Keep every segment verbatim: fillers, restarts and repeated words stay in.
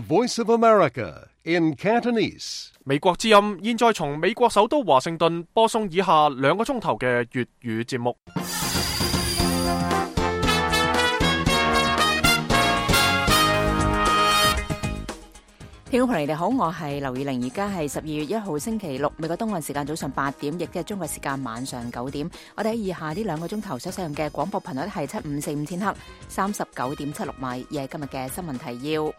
Voice of America in Cantonese. 美國之音現在從美國首都華盛頓播送以下兩個鐘頭嘅粵語節目。聽眾朋友你哋好，我係劉以玲，而家係十二月一號星期六，美國東岸時間早上八點，亦即係中國時間晚上九點。我哋喺以下呢兩個鐘頭所使用嘅廣播頻率係七五四五千赫，三十九點七六米，而係今日嘅新聞提要。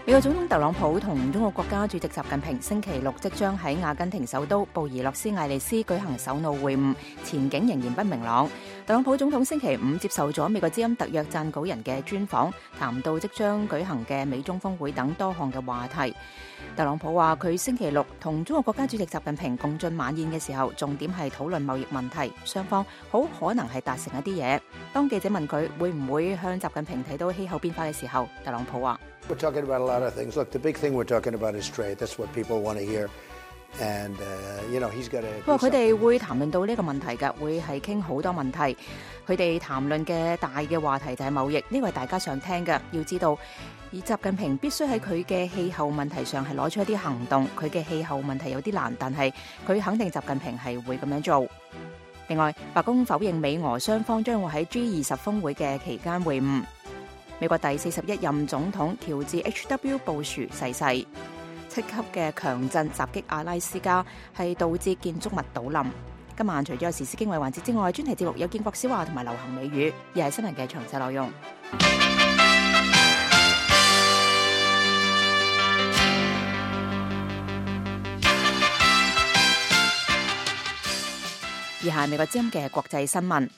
美國總統特朗普同中國國家主席習近平星期六即將喺阿根廷首都布宜諾斯艾利斯舉行首腦會晤，前景仍然不明朗。特朗普總統星期五接受咗美國之音特約撰稿人嘅專訪，談到即將舉行嘅美中峰會等多項嘅話題。特朗普話佢星期六同中國國家主席習近平共進晚宴嘅時候，重點係討論貿易問題，雙方好可能係達成一啲嘢。當記者問佢會唔會向習近平提到氣候變化嘅時候，特朗普話：We're talking about a lot of things. Look, the big thing we're talking about is trade. That's what people want to hear. And, uh, you know, he's got to. 佢話佢哋會談論到呢個問題㗎，會係傾好多問題。佢哋談論嘅大嘅話題就係貿易，呢個係大家想聽㗎。要知道，而習近平必須喺佢嘅氣候問題上係攞出一啲行動。佢嘅氣候問題有啲難，但係佢肯定習近平係會咁樣做。另外，白宮否認美俄雙方將會喺 G 二十峰會嘅期間會晤。美國第四十一任總統喬治 H W 布殊逝世。七級嘅強震襲擊阿拉斯加，係導致建築物倒冧。今晚除咗有時事經緯環節之外，專題節目有建國小話同埋流行美語，而係新聞嘅詳細內容。以下係美國之音嘅國際新聞。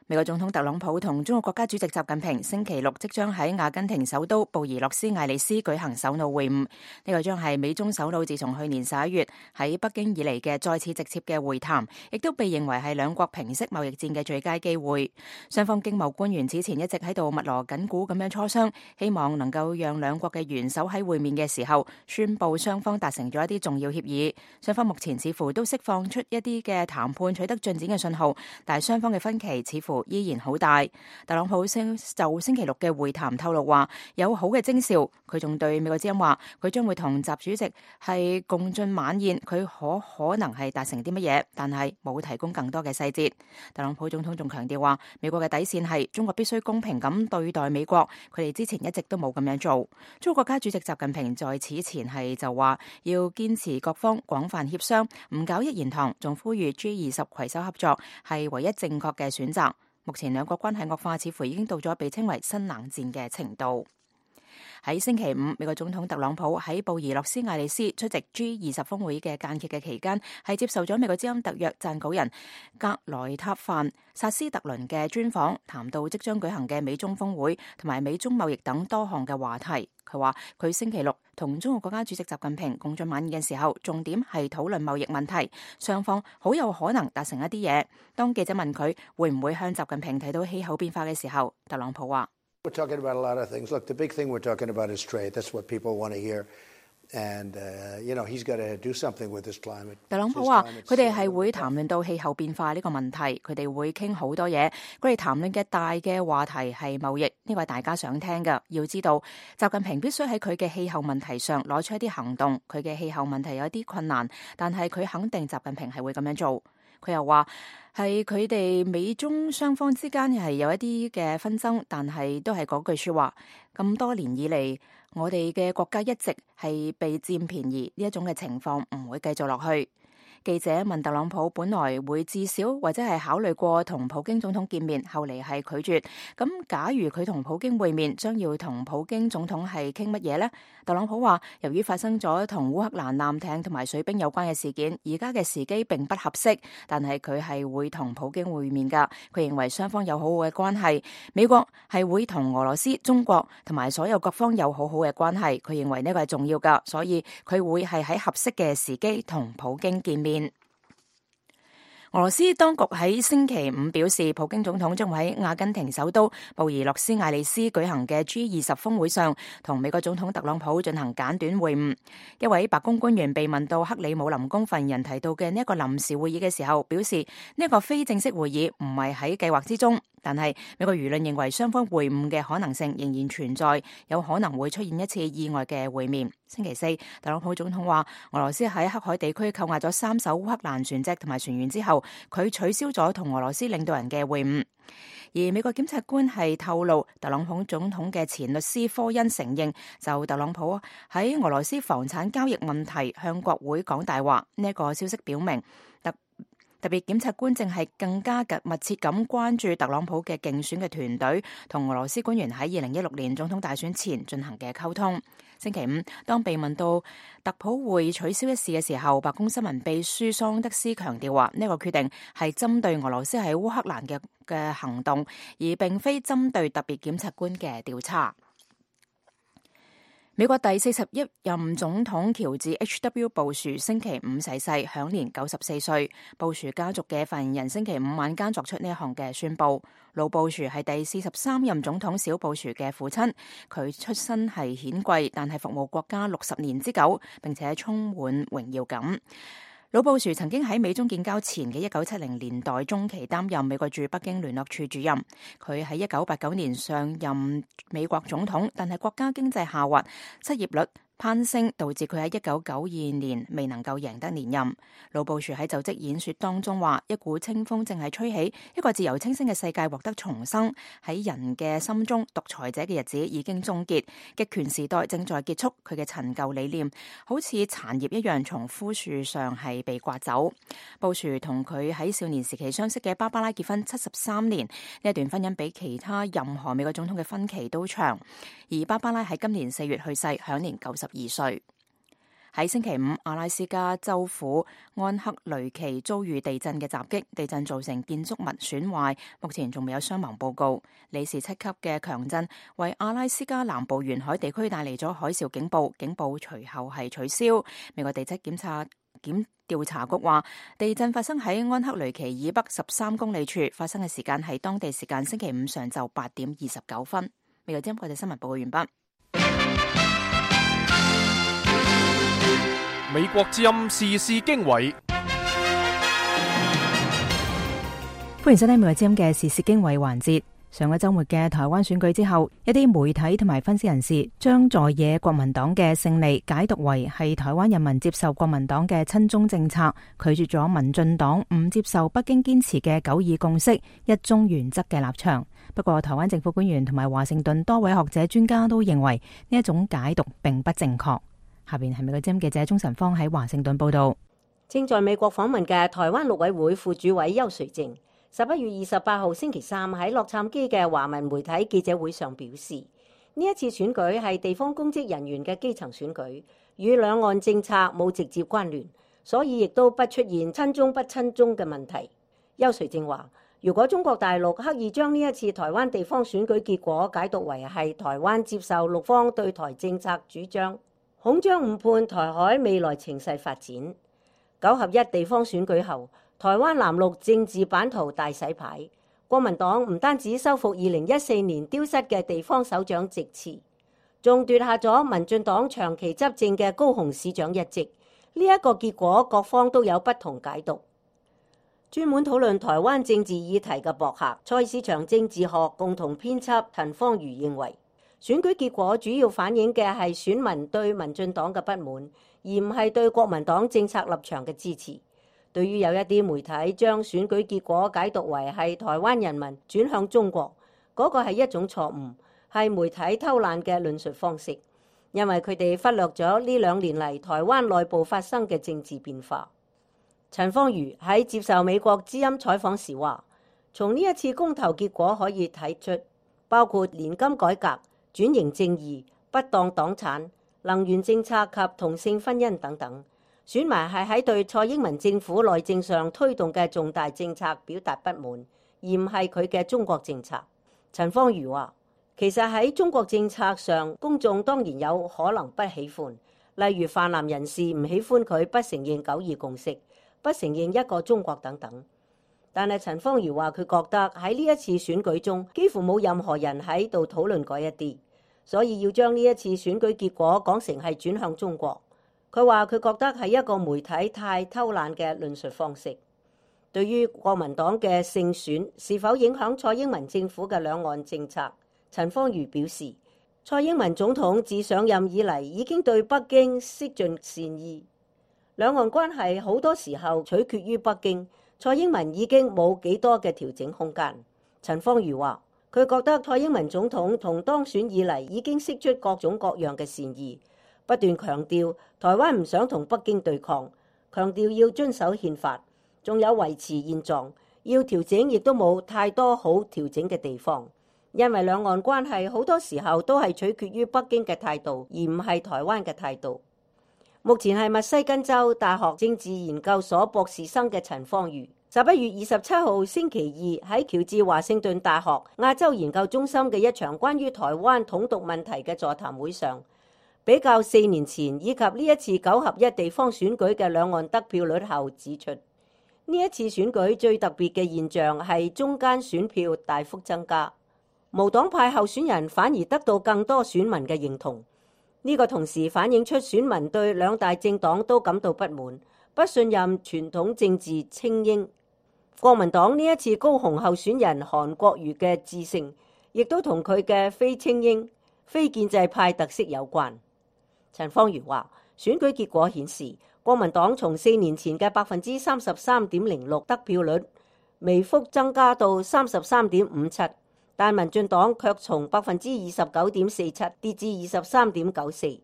美國總統特朗普同中國國家主席習近平星期六即將喺阿根廷首都布宜諾斯艾利斯舉行首腦會晤，呢個將係美中首腦自從去年十一月喺北京以嚟嘅再次直接嘅會談，亦都被認為係兩國平息貿易戰嘅最佳機會。雙方經貿官員此前一直喺度密鑼緊鼓咁樣磋商，希望能夠讓兩國嘅元首喺會面嘅時候宣布雙方達成咗一啲重要協議。雙方目前似乎都釋放出一啲嘅談判取得進展嘅信號，但係雙方嘅分歧似乎依然好大。特朗普星就星期六嘅會談透露話有好嘅徵兆，佢仲對美國之音話佢將會同習主席係共進晚宴，佢可可能係達成啲乜嘢，但係冇提供更多嘅細節。特朗普總統仲強調話美國嘅底線係中國必須公平咁對待美國，佢哋之前一直都冇咁樣做。中國國家主席習近平在此前係就話要堅持各方廣泛協商，唔搞一言堂，仲呼籲 G 二十攜手合作係唯一正確嘅選擇。目前兩國關係惡化，似乎已經到咗被稱為新冷戰嘅程度。喺星期五，美國總統特朗普喺布宜諾斯艾利斯出席 G 二十峰會嘅間歇嘅期間，係接受咗美國之音特約撰稿人格萊塔范薩斯特倫嘅專訪，談到即將舉行嘅美中峰會同埋美中貿易等多項嘅話題。佢話佢星期六同中國國家主席習近平共進晚宴嘅時候，重點係討論貿易問題，雙方好有可能達成一啲嘢。當記者問佢會唔會向習近平提到氣候變化嘅時候，特朗普話：We're talking about a lot of things. Look, the big thing we're talking about is trade. That's what people want to hear. And, uh, you know, he's got to do something with this climate. 特朗普話佢哋係會談論到氣候變化呢個問題，佢哋會傾好多嘢。佢哋談論嘅大嘅話題係貿易，呢個係大家想聽㗎。要知道，習近平必須喺佢嘅氣候問題上攞出一啲行動。佢嘅氣候問題有啲困難，但係佢肯定習近平係會咁樣做。佢又話係佢哋美中雙方之間係有一啲嘅紛爭，但係都係嗰句說話。咁多年以嚟，我哋嘅國家一直係被佔便宜，呢一種嘅情況唔會繼續落去。記者問特朗普本來會至少或者係考慮過同普京總統見面，後嚟係拒絕。咁假如佢同普京會面，將要同普京總統係傾乜嘢呢？特朗普話由於發生咗同烏克蘭艦艇同埋水兵有關嘅事件，而家嘅時機並不合適，但係佢係會同普京會面㗎。佢認為雙方有好好嘅關係，美國係會同俄羅斯、中國同埋所有各方有好好嘅關係。佢認為呢個係重要㗎，所以佢會係喺合適嘅時機同普京見面。俄羅斯當局喺星期五表示，普京總統將會喺阿根廷首都布宜諾斯艾利斯舉行嘅 G 二十峰會上，同美國總統特朗普進行簡短會晤。一位白宮官員被問到克里姆林宮發言人提到嘅呢一個臨時會議嘅時候，表示呢一個非正式會議唔係喺計劃之中，但係美國輿論認為雙方會晤嘅可能性仍然存在，有可能會出現一次意外嘅會面。星期四，特朗普總統話，俄羅斯喺黑海地區扣押咗三艘烏克蘭船隻同埋船員之後，佢取消咗同俄羅斯領導人嘅會晤。而美國檢察官係透露，特朗普總統嘅前律師科恩承認，就特朗普喺俄羅斯房產交易問題向國會講大話。呢、這、一個消息表明，特特別檢察官正係更加緊密切咁關注特朗普嘅競選嘅團隊同俄羅斯官員喺二零一六年總統大選前進行嘅溝通。星期五，當被問到特普會取消一事嘅時候，白宮新聞秘書桑德斯強調話，呢個決定係針對俄羅斯喺烏克蘭嘅嘅行動，而並非針對特別檢察官嘅調查。美國第四十一任總統喬治 H W 布殊星期五逝世，享年九十四歲。布殊家族嘅發言人星期五晚間作出呢一項嘅宣佈。老布殊係第四十三任總統小布殊嘅父親，佢出身係顯貴，但係服務國家六十年之久，並且充滿榮耀感。老布殊曾經喺美中建交前嘅一九七零年代中期擔任美國駐北京聯絡處主任。佢喺一九八九年上任美國總統，但係國家經濟下滑，失業率攀升，導致佢喺一九九二年未能夠贏得連任。老布殊喺就職演說當中話，一股清風正係吹起，一個自由清新嘅世界獲得重生。喺人嘅心中，獨裁者嘅日子已經終結，極權時代正在結束。佢嘅陳舊理念好似殘葉一樣從枯樹上係被刮走。布殊同佢喺少年時期相識嘅芭芭拉結婚七十三年，呢一段婚姻比其他任何美國總統嘅婚期都長。而芭芭拉喺今年四月去世，享年九十二歲。喺星期五，阿拉斯加州府安克雷奇遭遇地震嘅襲擊，地震造成建築物損壞，目前仲未有傷亡報告。里氏七級嘅強震為阿拉斯加南部沿海地區帶嚟咗海嘯警報，警報隨後係取消。美國地質檢查檢調查局話，地震發生喺安克雷奇以北十三公里處，發生嘅時間係當地時間星期五上晝八點二十九分。美國之音國際新聞報告完畢。美國之音時事經緯，歡迎收聽美國之音嘅時事經緯環節。上個週末嘅台灣選舉之後，一啲媒體同埋分析人士將在野國民黨嘅勝利解讀為係台灣人民接受國民黨嘅親中政策，拒絕咗民進黨唔接受北京堅持嘅九二共識、一中原則嘅立場。不過，台灣政府官員同埋華盛頓多位學者專家都認為呢一種解讀並不正確。下邊係美國之音記者鍾晨芳喺華盛頓報道。正在美國訪問嘅台灣陸委會副主委邱垂正，十一月二十八號星期三喺洛杉磯嘅華文媒體記者會上表示，呢一次選舉係地方公職人員嘅基層選舉，與兩岸政策冇直接關聯，所以亦都不出現親中不親中嘅問題。邱垂正話，如果中國大陸刻意將呢一次台灣地方選舉結果解讀為係台灣接受陸方對台政策主張，恐將誤判台海未來情勢發展。九合一地方選舉後，台灣藍綠政治版圖大洗牌，國民黨唔單止收復二零一四年丟失嘅地方首長席次，仲奪下咗民進黨長期執政嘅高雄市長一職。呢、這、一個結果，各方都有不同解讀。專門討論台灣政治議題嘅博客蔡市場政治學共同編輯陳芳瑜認為，選舉結果主要反映嘅係選民對民進黨嘅不滿，而唔係對國民黨政策立場嘅支持。對於有一啲媒體將選舉結果解讀為係台灣人民轉向中國，嗰個係一種錯誤，係媒體偷懶嘅論述方式，因為佢哋忽略咗呢兩年嚟台灣內部發生嘅政治變化。陳芳瑜喺接受美國之音採訪時話，從呢一次公投結果可以睇出，包括年金改革、轉型正義、不當黨產、能源政策及同性婚姻等等，選民係喺對蔡英文政府內政上推動嘅重大政策表達不滿，而唔係佢嘅中國政策。陳芳瑜話，其實喺中國政策上，公眾當然有可能不喜歡，例如泛藍人士唔喜歡佢不承認九二共識、不承認一個中國等等。但係陳芳如話佢覺得喺呢一次選舉中幾乎冇任何人喺度討論嗰一啲，所以要將呢一次選舉結果講成係轉向中國。佢話佢覺得係一個媒體太偷懶嘅論述方式。對於國民黨嘅勝選是否影響蔡英文政府嘅兩岸政策，陳芳如表示，蔡英文總統自上任以嚟已經對北京釋盡善意，兩岸關係好多時候取決於北京。蔡英文已經冇幾多嘅調整空間。陳芳如話，佢覺得蔡英文總統同當選以嚟已經釋出各種各樣嘅善意，不斷強調台灣唔想同北京對抗，強調要遵守憲法，仲有維持現狀，要調整亦都冇太多好調整嘅地方，因為兩岸關係好多時候都係取決於北京嘅態度，而唔係台灣嘅態度。目前係密西根州大學政治研究所博士生嘅陳芳如，十一月二十七號星期二喺喬治華盛頓大學亞洲研究中心嘅一場關於台灣統獨問題嘅座談會上，比較四年前以及呢一次九合一地方選舉嘅兩岸得票率後指出，呢一次選舉最特別嘅現象係中間選票大幅增加，無黨派候選人反而得到更多選民嘅認同。呢個同時反映出選民對兩大政黨都感到不滿，不信任傳統政治精英。國民黨呢一次高雄候選人韓國瑜嘅致勝，亦都同佢嘅非精英、非建制派特色有關。陳芳如話，選舉結果顯示，國民黨從四年前嘅百分之三十三點零六得票率，微幅增加到三十三點五七。但民進黨卻從百分之二十九點四七跌至二十三點九四，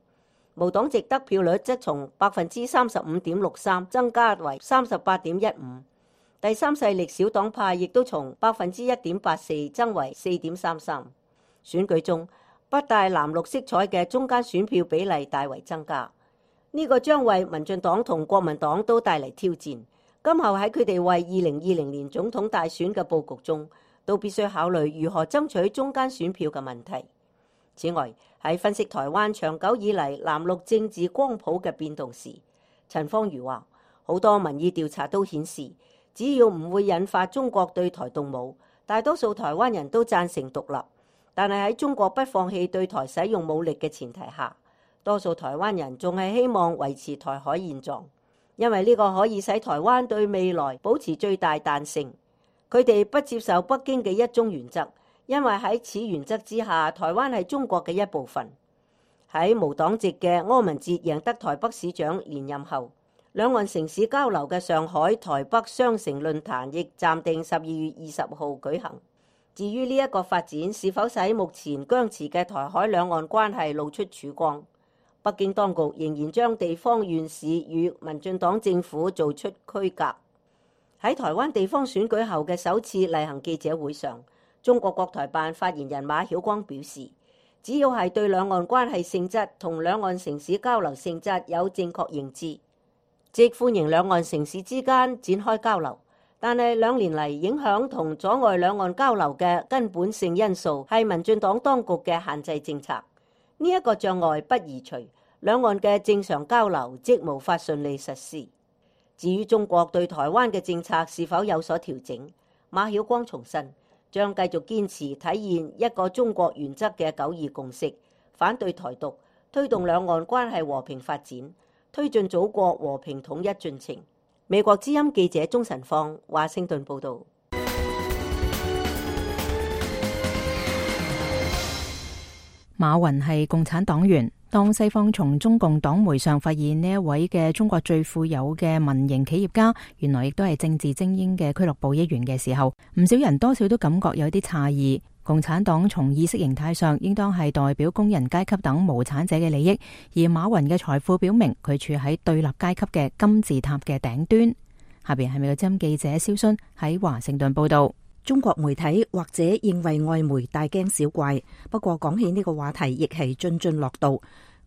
無黨籍得票率則從百分之三十五點六三增加為三十八點一五，第三勢力小黨派亦都從百分之一點八四增為四點三三。選舉中不帶藍綠色彩嘅中間選票比例大為增加，呢、這個將為民進黨同國民黨都帶嚟挑戰。今後喺佢哋為二零二零年總統大選嘅佈局中，都必須考慮如何爭取中間選票嘅問題。此外，喺分析台灣長久以嚟藍綠政治光譜嘅變動時，陳芳如話，好多民意調查都顯示，只要唔會引發中國對台動武，大多數台灣人都贊成獨立。但係喺中國不放棄對台使用武力嘅前提下，多數台灣人仲係希望維持台海現狀，因為呢個可以使台灣對未來保持最大彈性。佢哋不接受北京嘅一中原則，因為喺此原則之下，台灣係中國嘅一部分。喺無黨籍嘅柯文哲贏得台北市長連任後，兩岸城市交流嘅上海台北雙城論壇亦暫定十二月二十號舉行。至於呢一個發展是否使目前僵持嘅台海兩岸關係露出曙光，北京當局仍然將地方縣市與民進黨政府做出區隔。喺台灣地方選舉後嘅首次例行記者會上，中國國台辦發言人馬曉光表示，只要係對兩岸關係性質同兩岸城市交流性質有正確認知，即歡迎兩岸城市之間展開交流。但係兩年嚟影響同阻礙兩岸交流嘅根本性因素係民進黨當局嘅限制政策，呢、這、一個障礙不移除，兩岸嘅正常交流即無法順利實施。至於中國對台灣嘅政策是否有所調整，馬曉光重申將繼續堅持體現一個中國原則嘅九二共識，反對台獨，推動兩岸關係和平發展，推進祖國和平統一進程。美國之音記者鍾晨芳華盛頓報道。馬雲係共產黨員。當西方從中共黨媒上發現呢一位嘅中國最富有嘅民營企業家，原來亦都係政治精英嘅俱樂部一員嘅時候，唔少人多少都感覺有啲詫異。共產黨從意識形態上應當係代表工人階級等無產者嘅利益，而馬雲嘅財富表明佢處喺對立階級嘅金字塔嘅頂端。下邊係美國之音記者蕭순喺華盛頓報道。中國媒體或者認為外媒大驚小怪，不過講起呢個話題亦係津津樂道。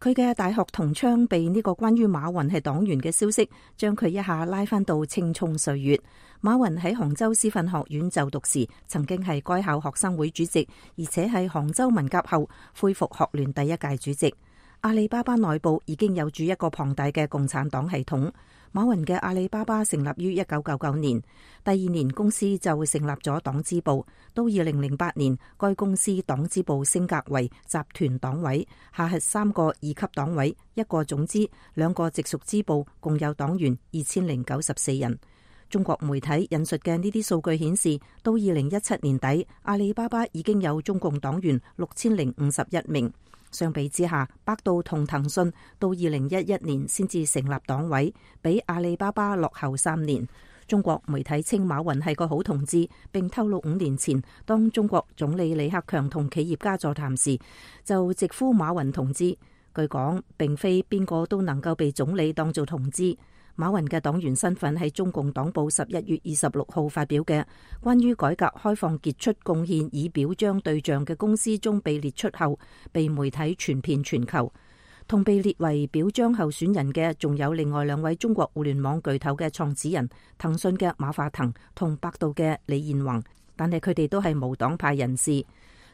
佢嘅大學同窗被呢個關於馬雲係黨員嘅消息，將佢一下拉返到青蔥歲月。馬雲喺杭州師範學院就讀時，曾經係該校學生會主席，而且係杭州文革後恢復學聯第一屆主席。阿里巴巴內部已經有住一個龐大嘅共產黨系統。馬雲嘅阿里巴巴成立於一九九九年，第二年公司就成立咗黨支部。到二零零八年，該公司黨支部升格為集團黨委，下轄三個二級黨委、一個總支、兩個直屬支部，共有黨員二千零九十四人。中國媒體引述嘅呢啲數據顯示，到二零一七年底，阿里巴巴已經有中共黨員六千零五十一名。相比之下，百度同騰訊到二零一一年先至成立黨委，比阿里巴巴落後三年。中國媒體稱馬雲係個好同志，並透露五年前當中國總理李克強同企業家座談時，就直呼馬雲同志。據講，並非邊個都能夠被總理當做同志。馬雲嘅黨員身份係中共黨報十一月二十六號發表嘅關於改革開放傑出貢獻以表彰對象嘅公司中被列出後，被媒體傳遍全球。同被列為表彰候選人嘅仲有另外兩位中國互聯網巨頭嘅創始人，騰訊嘅馬化騰同百度嘅李彥宏，但係佢哋都係無黨派人士。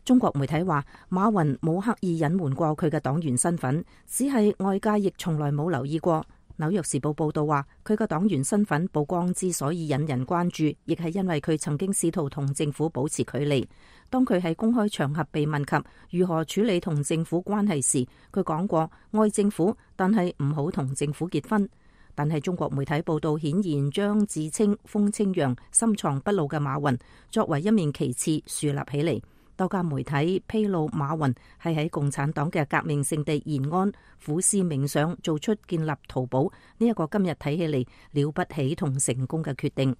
中國媒體話，馬雲冇刻意隱瞞過佢嘅黨員身份，只係外界亦從來冇留意過。紐約時報報道話，佢個黨員身份曝光之所以引人關注，亦係因為佢曾經試圖同政府保持距離。當佢喺公開場合被問及如何處理同政府關係時，佢講過愛政府，但係唔好同政府結婚。但係中國媒體報道顯然將自稱風清揚、深藏不露嘅馬雲作為一面旗幟樹立起嚟。多家媒體披露馬雲係喺共產黨嘅革命聖地延安苦思冥想，做出建立淘寶呢一個今日睇起嚟了不起同成功嘅決定。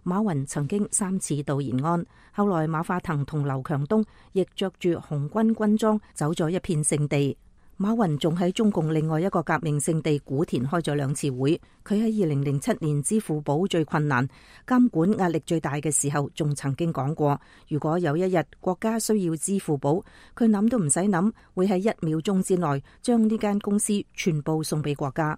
馬雲曾經三次到延安，後來馬化騰同劉強東亦着住紅軍軍裝走咗一片聖地。馬雲仲喺中共另外一個革命聖地古田開咗兩次會。佢喺二零零七年支付寶最困難、監管壓力最大嘅時候，仲曾經講過，如果有一日國家需要支付寶，佢諗都唔使諗，會喺一秒鐘之內將呢間公司全部送俾國家。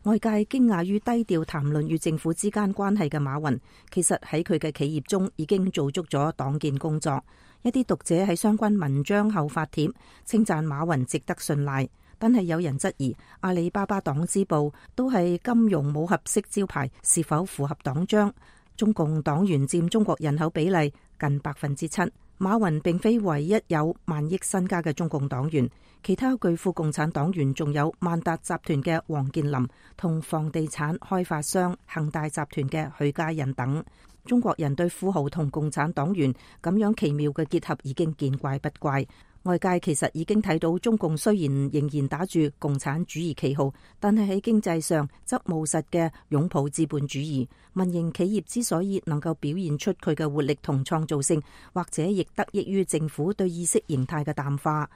外界驚訝於低調談論與政府之間關係嘅馬雲，其實喺佢嘅企業中已經做足咗黨建工作。一啲讀者喺相關文章後發帖稱讚馬雲值得信賴，但係有人質疑阿里巴巴黨支部都係金融武俠式招牌，是否符合黨章？中共黨員佔中國人口比例近百分之七，馬雲並非唯一有萬億身家嘅中共黨員，其他巨富共產黨員仲有萬達集團嘅王健林同房地產開發商恒大集團嘅許家印等。中國人對富豪同共產黨員咁樣奇妙嘅結合已經見怪不怪。外界其實已經睇到中共雖然仍然打住共產主義旗號，但係喺經濟上則務實嘅擁抱資本主義。民營企業之所以能夠表現出佢嘅活力同創造性，或者亦得益於政府對意識形態嘅淡化。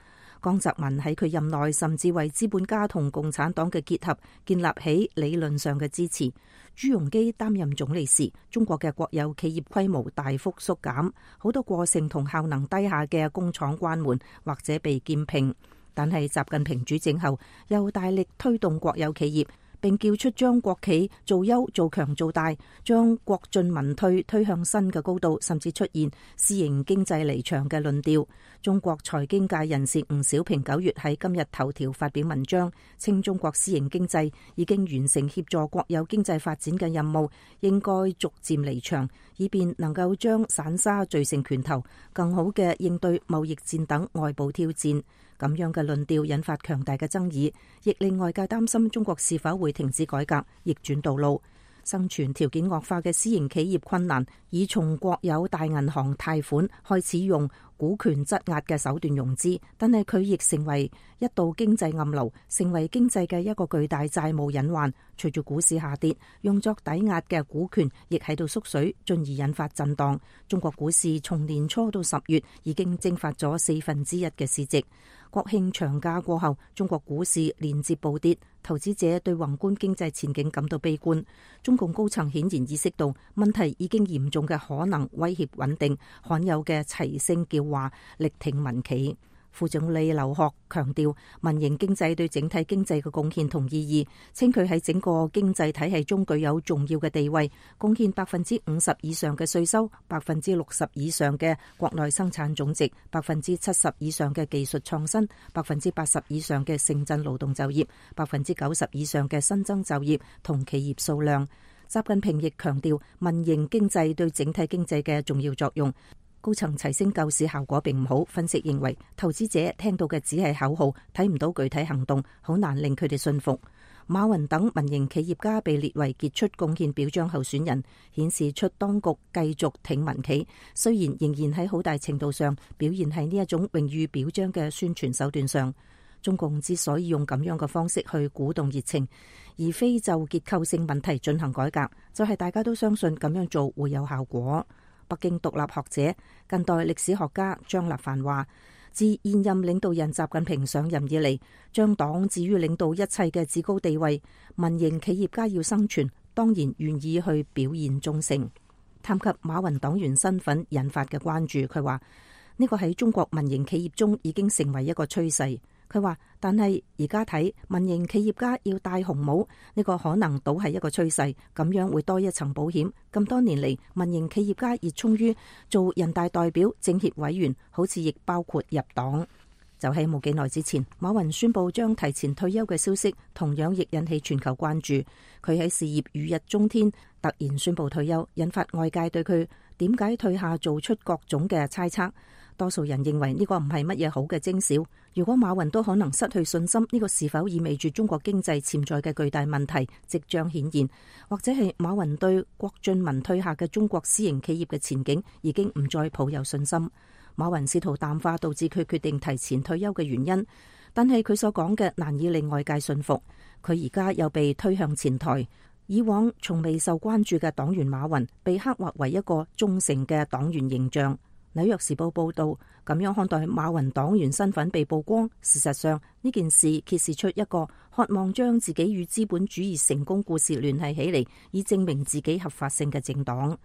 江澤民喺佢任內甚至為資本家同共產黨嘅結合建立起理論上嘅支持。朱鎔基擔任總理時，中國嘅國有企業規模大幅縮減，好多過剩同效能低下嘅工廠關門或者被兼併。但係習近平主政後，又大力推動國有企業，並叫出將國企做優做強做大，將國進民退推向新嘅高度，甚至出現私營經濟離場嘅論調。中國財經界人士吳小平九月喺今日頭條發表文章，稱中國私營經濟已經完成協助國有經濟發展嘅任務，應該逐漸離場，以便能夠將散沙聚成拳頭，更好嘅應對貿易戰等外部挑戰。咁樣嘅論調引發強大嘅爭議，亦令外界擔心中國是否會停止改革，逆轉道路。生存條件惡化嘅私營企業困難，已從國有大銀行貸款開始用股權質押嘅手段融資，但係佢亦成為一道經濟暗流，成為經濟嘅一個巨大債務隱患。隨住股市下跌，用作抵押嘅股權亦喺度縮水，進而引發震盪。中國股市從年初到十月已經蒸發咗四分之一嘅市值。國慶長假過後，中國股市連接暴跌，投資者對宏觀經濟前景感到悲觀。中共高層顯然意識到問題已經嚴重嘅可能威脅穩定，罕有嘅齊聲叫話力挺民企。副總理劉鶴強調民營經濟對整體經濟嘅貢獻同意義，稱佢喺整個經濟體系中具有重要嘅地位，貢獻百分之五十以上嘅稅收，百分之六十以上嘅國內生產總值，百分之七十以上嘅技術創新，百分之八十以上嘅城鎮勞動就業，百分之九十以上嘅新增就業同企業數量。習近平亦強調民營經濟對整體經濟嘅重要作用。高層齊聲救市效果並唔好，分析認為投資者聽到嘅只係口號，睇唔到具體行動，好難令佢哋信服。馬雲等民營企業家被列為傑出貢獻表彰候選人，顯示出當局繼續挺民企，雖然仍然喺好大程度上表現喺呢一種榮譽表彰嘅宣傳手段上。中共之所以用咁樣嘅方式去鼓動熱情，而非就結構性問題進行改革，就係、是、大家都相信咁樣做會有效果。北京獨立學者、近代歷史學家張立凡話，自現任領導人習近平上任以嚟，將黨置於領導一切嘅至高地位，民營企業家要生存，當然願意去表現忠誠。談及馬雲黨員身份引發嘅關注，佢話呢個喺中國民營企業中已經成為一個趨勢。佢話，但係而家睇民營企業家要戴紅帽，呢個可能倒係一個趨勢，咁樣會多一層保險。咁多年嚟，民營企業家熱衷於做人大代表、政協委員，好似亦包括入黨。就喺冇幾耐之前，馬雲宣布將提前退休嘅消息，同樣亦引起全球關注。佢喺事業如日中天，突然宣布退休，引發外界對佢點解退下做出各種嘅猜測。多數人認為呢個唔係乜嘢好嘅徵兆。如果馬雲都可能失去信心，呢個是否意味住中國經濟潛在嘅巨大問題即將顯現，或者係馬雲對郭俊文退下嘅中國私營企業嘅前景已經唔再抱有信心？馬雲試圖淡化導致佢決定提前退休嘅原因，但係佢所講嘅難以令外界信服。佢而家又被推向前台，以往從未受關注嘅黨員馬雲被刻畫為一個忠誠嘅黨員形象。紐約時報報道，咁樣看待馬雲黨員身份被曝光，事實上呢件事揭示出一個渴望將自己與資本主義成功故事聯繫起嚟，以證明自己合法性嘅政黨。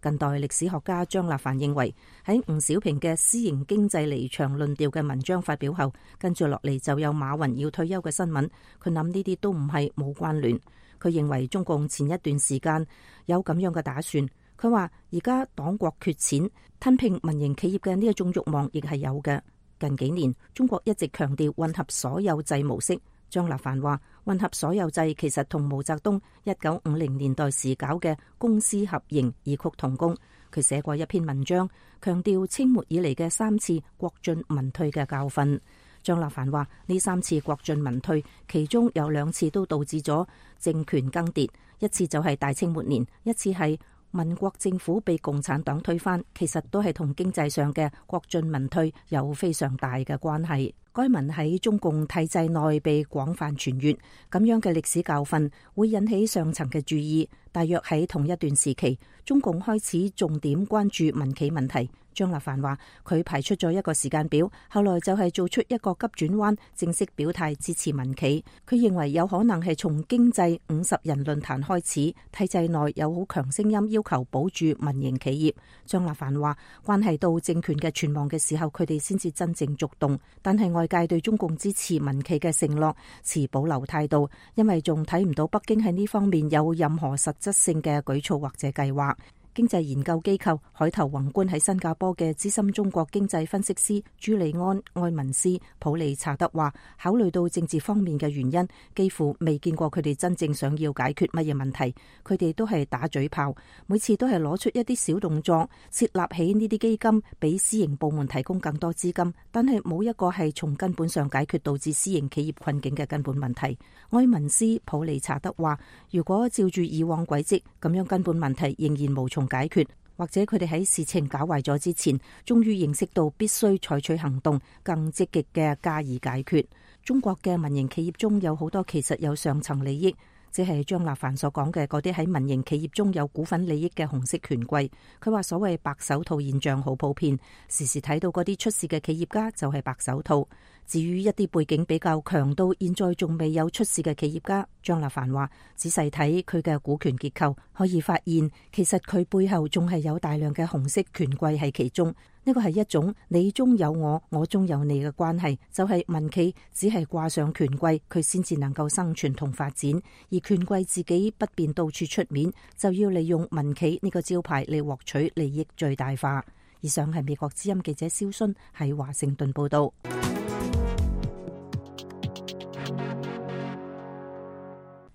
近代歷史學家張立凡認為，喺吳小平嘅私營經濟離場論調嘅文章發表後，跟住落嚟就有馬雲要退休嘅新聞。佢諗呢啲都唔係冇關聯。佢認為中共前一段時間有咁樣嘅打算。佢話而家黨國缺錢，吞併民營企業嘅呢一種慾望亦係有嘅。近幾年中國一直強調混合所有制模式。張立凡話混合所有制其實同毛澤東一九五零年代時搞嘅公私合營異曲同工。佢寫過一篇文章，強調清末以嚟嘅三次國進民退嘅教訓。張立凡話呢三次國進民退，其中有兩次都導致咗政權更迭，一次就係大清末年，一次係民國政府被共產黨推翻，其實都係同經濟上嘅國進民退有非常大嘅關係。該文喺中共體制內被廣泛傳閱，咁樣嘅歷史教訓會引起上層嘅注意。大約喺同一段時期，中共開始重點關注民企問題。張立凡話佢排出咗一個時間表，後來就係做出一個急轉彎，正式表態支持民企。佢認為有可能係從經濟五十人論壇開始，體制內有好強聲音要求保住民營企業。張立凡話關係到政權嘅存亡嘅時候，佢哋先至真正觸動。但係外界對中共支持民企嘅承諾持保留態度，因為仲睇唔到北京喺呢方面有任何實質性嘅舉措或者計劃。經濟研究機構海頭宏觀喺新加坡嘅資深中國經濟分析師朱利安·埃文斯普利查德話，考慮到政治方面嘅原因，幾乎未見過佢哋真正想要解決乜嘢問題。佢哋都係打嘴炮，每次都係攞出一啲小動作，設立起呢啲基金，俾私營部門提供更多資金，但係冇一個係從根本上解決導致私營企業困境嘅根本問題。埃文斯普利查德話，如果照住以往軌跡，咁樣根本問題仍然無從解決，或者佢哋喺事情搞壞咗之前，終於認識到必須採取行動，更積極嘅加以解決。中國嘅民營企業中有好多其實有上層利益，即係張立凡所講嘅嗰啲喺民營企業中有股份利益嘅紅色權貴。佢話所謂白手套現象好普遍，時時睇到嗰啲出事嘅企業家就係白手套。至於一啲背景比較強到現在仲未有出事嘅企業家，張立凡話：仔細睇佢嘅股權結構，可以發現其實佢背後仲係有大量嘅紅色權貴喺其中。呢個係一種你中有我，我中有你嘅關係，就係民企只係掛上權貴，佢先至能夠生存同發展，而權貴自己不便到處出面，就要利用民企呢個招牌嚟獲取利益最大化。以上係美國之音記者蕭薰喺華盛頓報道。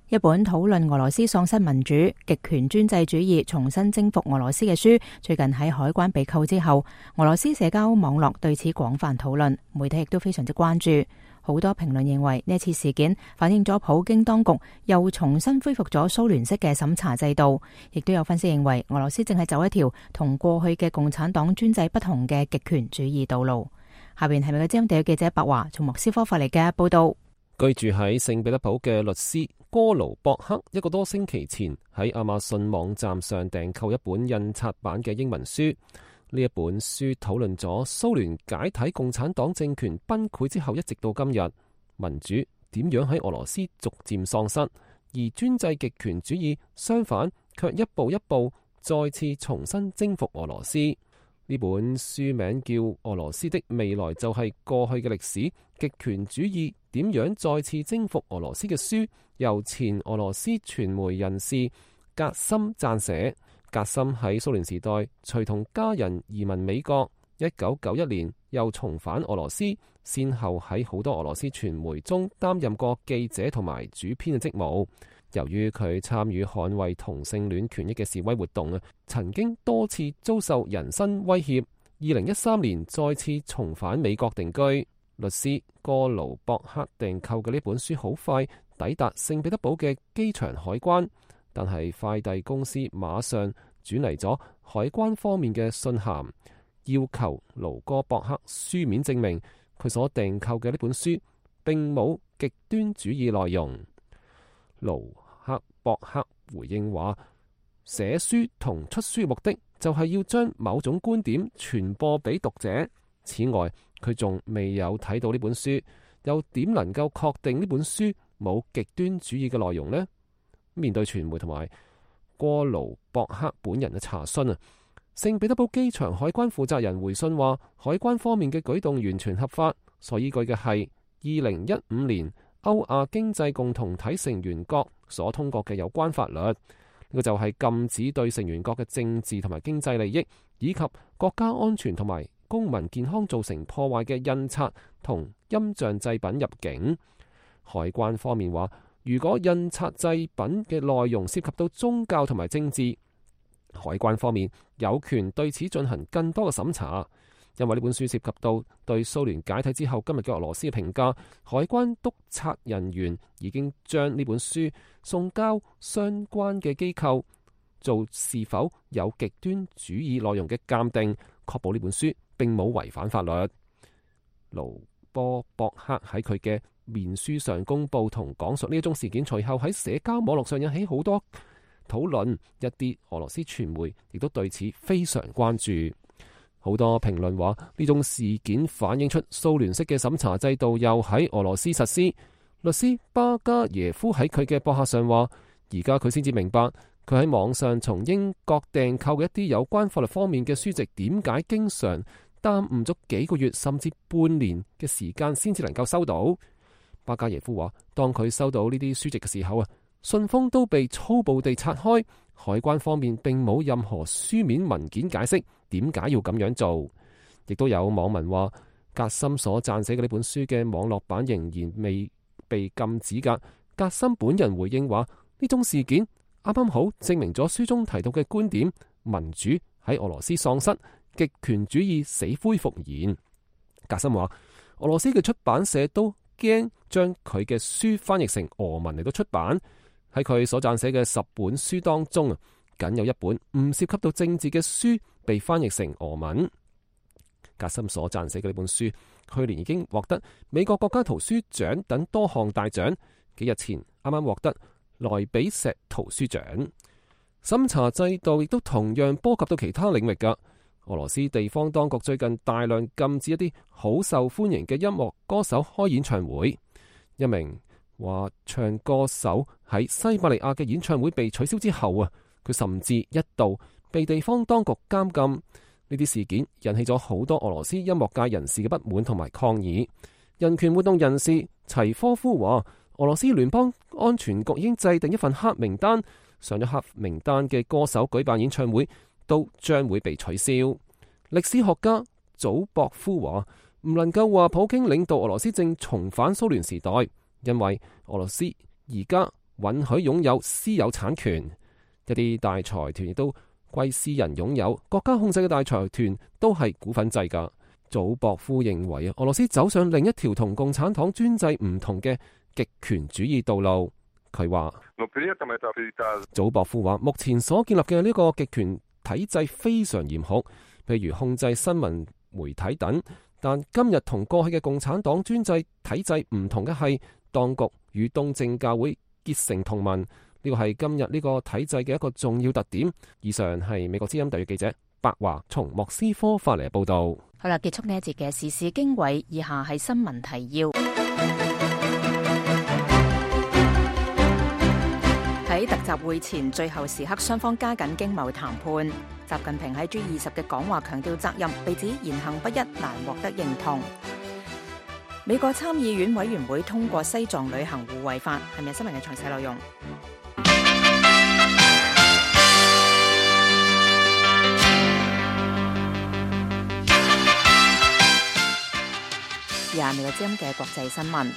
一本討論俄羅斯喪失民主、極權專制主義重新征服俄羅斯嘅書，最近喺海關被扣之後，俄羅斯社交網絡對此廣泛討論，媒體亦都非常之關注。好多評論認為呢次事件反映咗普京當局又重新恢復咗蘇聯式嘅審查制度，亦都有分析認為俄羅斯正係走一條同過去嘅共產黨專制不同嘅極權主義道路。下邊係美國之音地記者白華從莫斯科發嚟嘅報道。居住喺聖彼得堡嘅律師哥盧博克一個多星期前喺亞馬遜網站上訂購一本印刷版嘅英文書。呢一本書討論咗蘇聯解體、共產黨政權崩潰之後一直到今日，民主點樣喺俄羅斯逐漸喪失，而專制極權主義相反卻一步一步再次重新征服俄羅斯。呢本書名叫《俄羅斯的未來就係過去嘅歷史：極權主義點樣再次征服俄羅斯》嘅書，由前俄羅斯傳媒人士格森撰寫。格森喺蘇聯時代隨同家人移民美國，一九九一年又重返俄羅斯，先後喺好多俄羅斯傳媒中擔任過記者同埋主編嘅職務。由於佢參與捍衛同性戀權益嘅示威活動啊，曾經多次遭受人身威脅。二零一三年再次重返美國定居。律師哥盧博克訂購嘅呢本書好快抵達聖彼得堡嘅機場海關，但係快遞公司馬上轉嚟咗海關方面嘅信函，要求盧哥博克書面證明佢所訂購嘅呢本書並冇極端主義內容。盧克博克回應話，寫書同出書目的就係要將某種觀點傳播俾讀者。此外，佢仲未有睇到呢本書，又點能夠確定呢本書冇極端主義嘅內容呢？面對傳媒同埋哥盧博克本人嘅查詢啊，聖彼得堡機場海關負責人回信話，海關方面嘅舉動完全合法，所依據嘅係二零一五年歐亞經濟共同體成員國所通過嘅有關法律。呢個就係禁止對成員國嘅政治同埋經濟利益以及國家安全同埋公民健康造成破壞嘅印刷同音像製品入境。海關方面話，如果印刷製品嘅內容涉及到宗教同埋政治，海關方面有權對此進行更多嘅審查。因為呢本書涉及到對蘇聯解體之後今日嘅俄羅斯嘅評價，海關督察人員已經將呢本書送交相關嘅機構做是否有極端主義內容嘅鑑定，確保呢本書並冇違反法律。盧波博克喺佢嘅面書上公布同講述呢一宗事件，隨後喺社交網絡上引起好多討論，一啲俄羅斯傳媒亦都對此非常關注。好多評論話，呢種事件反映出蘇聯式嘅審查制度又喺俄羅斯實施。律師巴加耶夫喺佢嘅博客上話，而家佢先至明白，佢喺網上從英國訂購嘅一啲有關法律方面嘅書籍，點解經常耽誤咗幾個月甚至半年嘅時間先至能夠收到。巴加耶夫話，當佢收到呢啲書籍嘅時候啊，信封都被粗暴地拆開，海關方面並冇任何書面文件解釋點解要咁樣做。亦都有網民話，格森所撰寫嘅呢本書嘅網絡版仍然未被禁止噶。格森本人回應話，呢種事件啱啱好證明咗書中提到嘅觀點，民主喺俄羅斯喪失，極權主義死灰復燃。格森話，俄羅斯嘅出版社都驚將佢嘅書翻譯成俄文嚟到出版。喺佢所撰寫嘅十本書當中啊，僅有一本唔涉及到政治嘅書被翻譯成俄文。格森所撰寫嘅呢本書，去年已經獲得美國國家圖書獎等多項大獎。幾日前啱啱獲得萊比錫圖書獎。審查制度亦都同樣波及到其他領域噶。俄羅斯地方當局最近大量禁止一啲好受歡迎嘅音樂歌手開演唱會。一名話唱歌手喺西伯利亞嘅演唱會被取消之後啊，佢甚至一度被地方當局監禁。呢啲事件引起咗好多俄羅斯音樂界人士嘅不滿同埋抗議。人權活動人士齊科夫話，俄羅斯聯邦安全局已經制定一份黑名單，上咗黑名單嘅歌手舉辦演唱會都將會被取消。歷史學家祖博夫話，唔能夠話普京領導俄羅斯正重返蘇聯時代，因為俄羅斯而家允許擁有私有產權，一啲大財團亦都歸私人擁有，國家控制嘅大財團都係股份制噶。祖博夫認為啊，俄羅斯走上另一條同共產黨專制唔同嘅極權主義道路。佢話，祖博夫話，目前所建立嘅呢個極權體制非常嚴酷，譬如控制新聞媒體等。但今日同過去嘅共產黨專制體制唔同嘅係，當局與東正教會結成同盟。呢個係今日呢個體制嘅一個重要特點。以上係美國之音特約記者白華從莫斯科發嚟嘅報道。好啦，結束呢一節嘅時事經緯，以下係新聞提要。喺特集會前最後時刻，雙方加緊經貿談判。習近平喺 G 二十嘅講話強調責任，被指言行不一，難獲得認同。美國參議院委員會通過西藏旅行互惠法，係咪新聞嘅詳細內容？而家美國之音嘅國際新聞。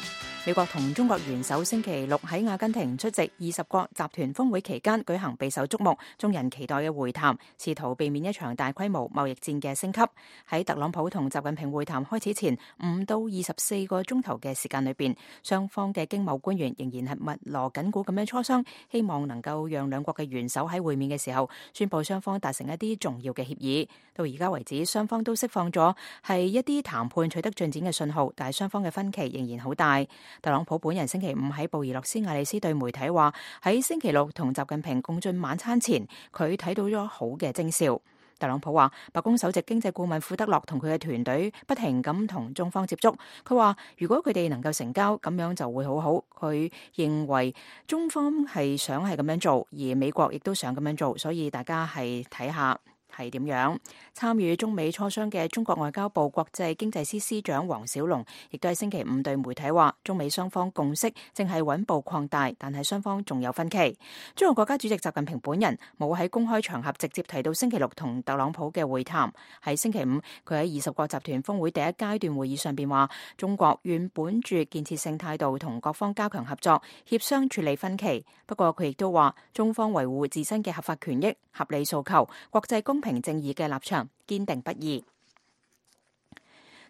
美國同中國元首星期六喺阿根廷出席二十國集團峰會期間舉行備受矚目、眾人期待嘅會談，試圖避免一場大規模貿易戰嘅升級。喺特朗普同習近平會談開始前五到二十四個鐘頭嘅時間裏邊，雙方嘅經貿官員仍然係密鑼緊鼓咁樣磋商，希望能夠讓兩國嘅元首喺會面嘅時候宣布雙方達成一啲重要嘅協議。到而家為止，雙方都釋放咗係一啲談判取得進展嘅信號，但係雙方嘅分歧仍然好大。特朗普本人星期五喺布宜諾斯艾利斯對媒體話，喺星期六同習近平共進晚餐前，佢睇到咗好嘅徵兆。特朗普話，白宮首席經濟顧問庫德洛同佢嘅團隊不停咁同中方接觸。佢話，如果佢哋能夠成交，咁樣就會好好。佢認為中方係想係咁樣做，而美國亦都想咁樣做，所以大家係睇下係點樣。參與中美磋商嘅中國外交部國際經濟司司長黃小龍亦都喺星期五對媒體話，中美雙方共識正係穩步擴大，但係雙方仲有分歧。中國國家主席習近平本人冇喺公開場合直接提到星期六同特朗普嘅會談。喺星期五，佢喺二十國集團峰會第一階段會議上邊話，中國願本住建設性態度同各方加強合作，協商處理分歧。不過佢亦都話，中方維護自身嘅合法權益、合理訴求、國際公平正義嘅立場堅定不移。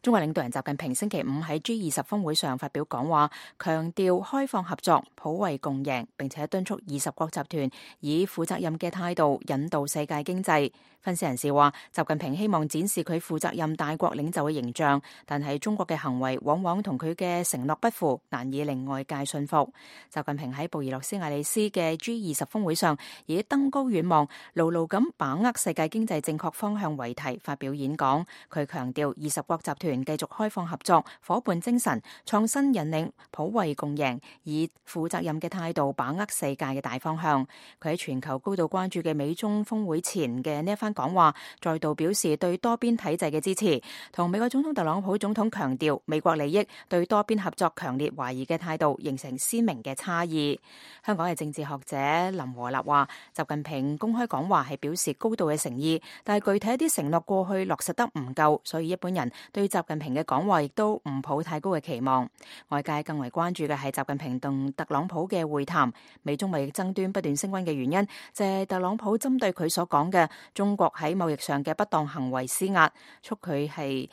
中國領導人習近平星期五喺 G 二十峰會上發表講話，強調開放合作、普惠共贏，並且敦促二十國集團以負責任嘅態度引導世界經濟。分析人士話，習近平希望展示佢負責任大國領袖嘅形象，但係中國嘅行為往往同佢嘅承諾不符，難以令外界信服。習近平喺布宜諾斯艾利斯嘅 G 二十峰會上，以登高遠望、牢牢咁把握世界經濟正確方向為題發表演講。佢強調二十國集團繼續開放合作、夥伴精神、創新引領、普惠共贏，以負責任嘅態度把握世界嘅大方向。佢喺全球高度關注嘅美中峰會前嘅呢一番講話，再度表示對多邊體制嘅支持，同美國總統特朗普總統強調美國利益對多邊合作強烈懷疑嘅態度形成鮮明嘅差異。香港嘅政治學者林和立話，習近平公開講話係表示高度嘅誠意，但係具體一啲承諾過去落實得唔夠，所以一般人對習近平嘅講話亦都唔抱太高嘅期望。外界更為關注嘅係習近平同特朗普嘅會談。美中貿易爭端不斷升溫嘅原因就係特朗普針對佢所講嘅中國喺貿易上嘅不當行為施壓，促佢係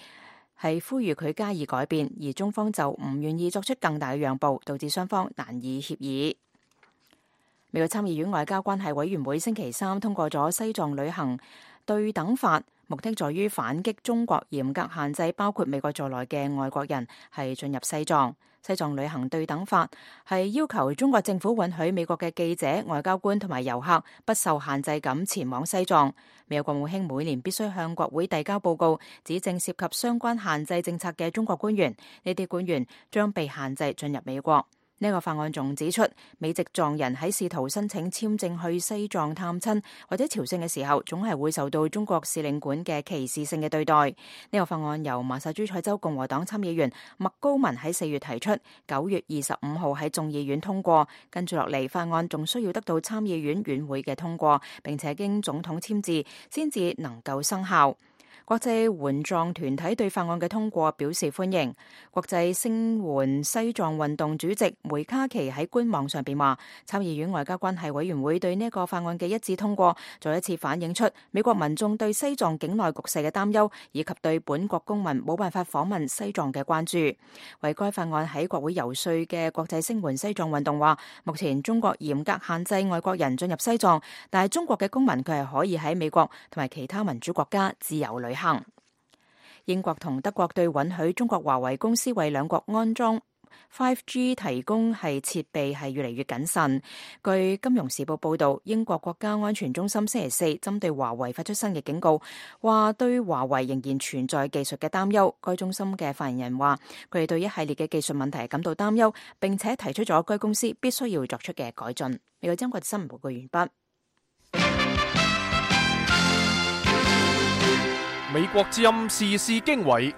係呼籲佢加以改變，而中方就唔願意作出更大嘅讓步，導致雙方難以協議。美國參議院外交關係委員會星期三通過咗西藏旅行對等法，目的在於反擊中國嚴格限制包括美國在內嘅外國人係進入西藏。西藏旅行對等法係要求中國政府允許美國嘅記者、外交官同埋遊客不受限制咁前往西藏。美國國務卿每年必須向國會遞交報告，指正涉及相關限制政策嘅中國官員，呢啲官員將被限制進入美國。呢個法案仲指出，美籍藏人喺試圖申請簽證去西藏探親或者朝聖嘅時候，總係會受到中國使領館嘅歧視性嘅對待。呢、這個法案由麻薩諸塞州共和黨參議員麥高文喺四月提出，九月二十五號喺眾議院通過。跟住落嚟，法案仲需要得到參議院院會嘅通過，並且經總統簽字先至能夠生效。國際援藏團體對法案嘅通過表示歡迎。國際聲援西藏運動主席梅卡奇喺官網上邊話，參議院外交關係委員會對呢個法案嘅一致通過，再一次反映出美國民眾對西藏境內局勢嘅擔憂，以及對本國公民冇辦法訪問西藏嘅關注。為該法案喺國會游說嘅國際聲援西藏運動話，目前中國嚴格限制外國人進入西藏，但係中國嘅公民佢係可以喺美國同埋其他民主國家自由旅行。英國同德國對允許中國華為公司為兩國安裝 五 G 提供係設備係越嚟越謹慎。據《金融時報》報導，英國國家安全中心星期四針對華為發出新嘅警告，話對華為仍然存在技術嘅擔憂。該中心嘅發言人話，佢哋對一系列嘅技術問題感到擔憂，並且提出咗該公司必須要作出嘅改進。美國中國新聞報告完畢。美國之音時事經緯，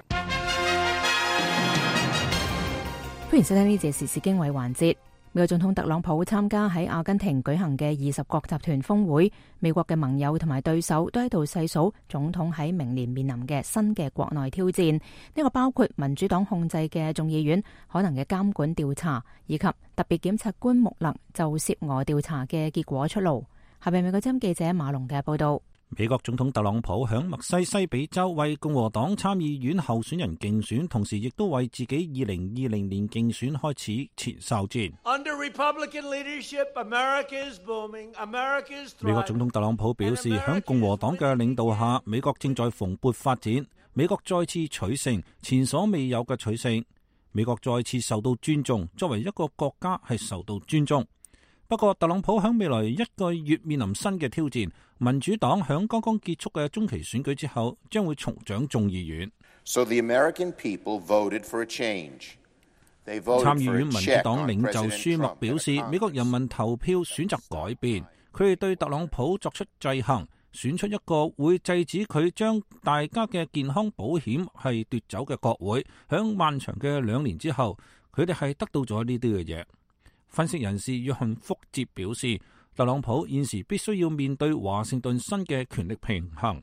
歡迎收聽呢節時事經緯環節。美國總統特朗普參加喺阿根廷舉行嘅二十國集團峰會，美國嘅盟友同埋對手都喺度細數總統喺明年面臨嘅新嘅國內挑戰。呢個包括民主黨控制嘅眾議院可能嘅監管調查，以及特別檢察官穆勒就涉俄調查嘅結果出爐。下邊美國之音記者馬龍嘅報道。美國總統特朗普響密西西比州為共和黨參議院候選人競選，同時亦都為自己二零二零年競選開始前哨戰。Under Republican leadership, America is booming. America is thriving. 美國總統特朗普表示，響共和黨嘅領導下，美國正在蓬勃發展，美國再次取勝，前所未有嘅取勝，美國再次受到尊重，作為一個國家係受到尊重。不過，特朗普喺未來一個月面臨新嘅挑戰。民主黨喺剛剛結束嘅中期選舉之後，將會重掌眾議院。So the American people voted for a change. They voted 參議院 for a 民主 check 黨 on 領袖 President 舒默 Trump 表示，美國人民投票選擇改變，佢哋對特朗普作出制衡，選出一個會制止佢將大家嘅健康保險係奪走嘅國會。響漫長嘅兩年之後，佢哋係得到咗呢啲嘅嘢。分析人士約翰福哲表示，特朗普現時必須要面對華盛頓新嘅權力平衡。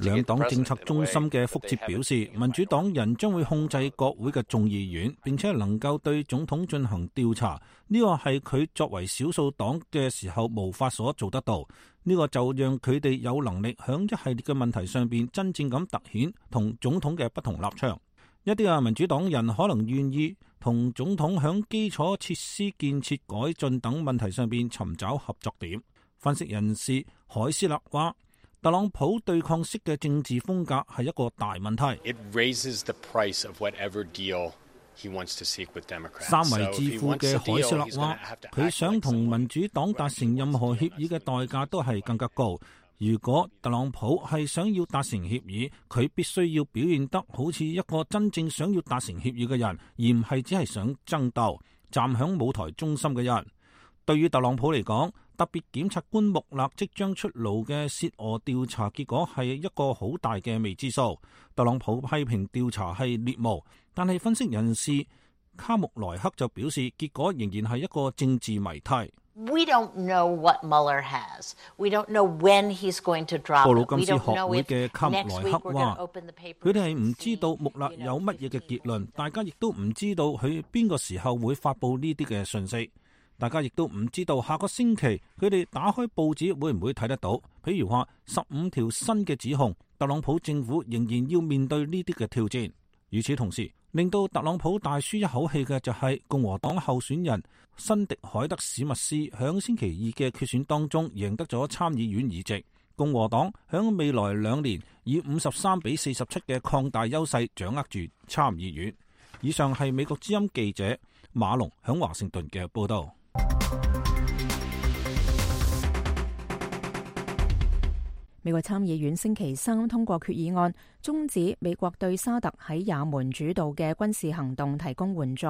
兩黨政策中心嘅福哲表示，民主黨人將會控制國會嘅眾議院，並且能夠對總統進行調查。呢個係佢作為少數黨嘅時候無法所做得到。呢個就讓佢哋有能力響一系列嘅問題上邊真正咁凸顯同總統嘅不同立場。一啲啊民主黨人可能願意同總統響基礎設施建設改進等問題上邊尋找合作點。分析人士海斯勒話，特朗普對抗式嘅政治風格係一個大問題。It raises the price of whatever deal he wants to seek with Democrats. 三圍致富嘅海斯勒話，佢想同民主黨達成任何協議嘅代價都係更加高。如果特朗普係想要達成協議，佢必須要表現得好似一個真正想要達成協議嘅人，而唔係只係想爭鬥、站響舞台中心嘅人。對於特朗普嚟講，特別檢察官穆勒即將出爐嘅涉俄調查結果係一個好大嘅未知數。特朗普批評調查係獵巫，但係分析人士卡穆萊克就表示，結果仍然係一個政治謎題。We don't know what Mueller has. We don't know when he's going to drop it. 布魯金斯學會嘅卡穆萊克話，佢哋係唔知道穆勒有乜嘢嘅結論，大家亦都唔知道佢邊個時候會發布呢啲嘅信息，大家亦都唔知道下個星期佢哋打開報紙會唔會睇得到。譬如話十五條新嘅指控，特朗普政府仍然要面對呢啲嘅挑戰。與此同時，令到特朗普大舒一口氣嘅就係共和黨候選人辛迪海特史密斯響星期二嘅決選當中贏得咗參議院議席。共和黨響未來兩年以五十三比四十七嘅擴大優勢掌握住參議院。以上係美國之音記者馬龍響華盛頓嘅報道。美國參議院星期三通過決議案，終止美國對沙特喺也門主導嘅軍事行動提供援助。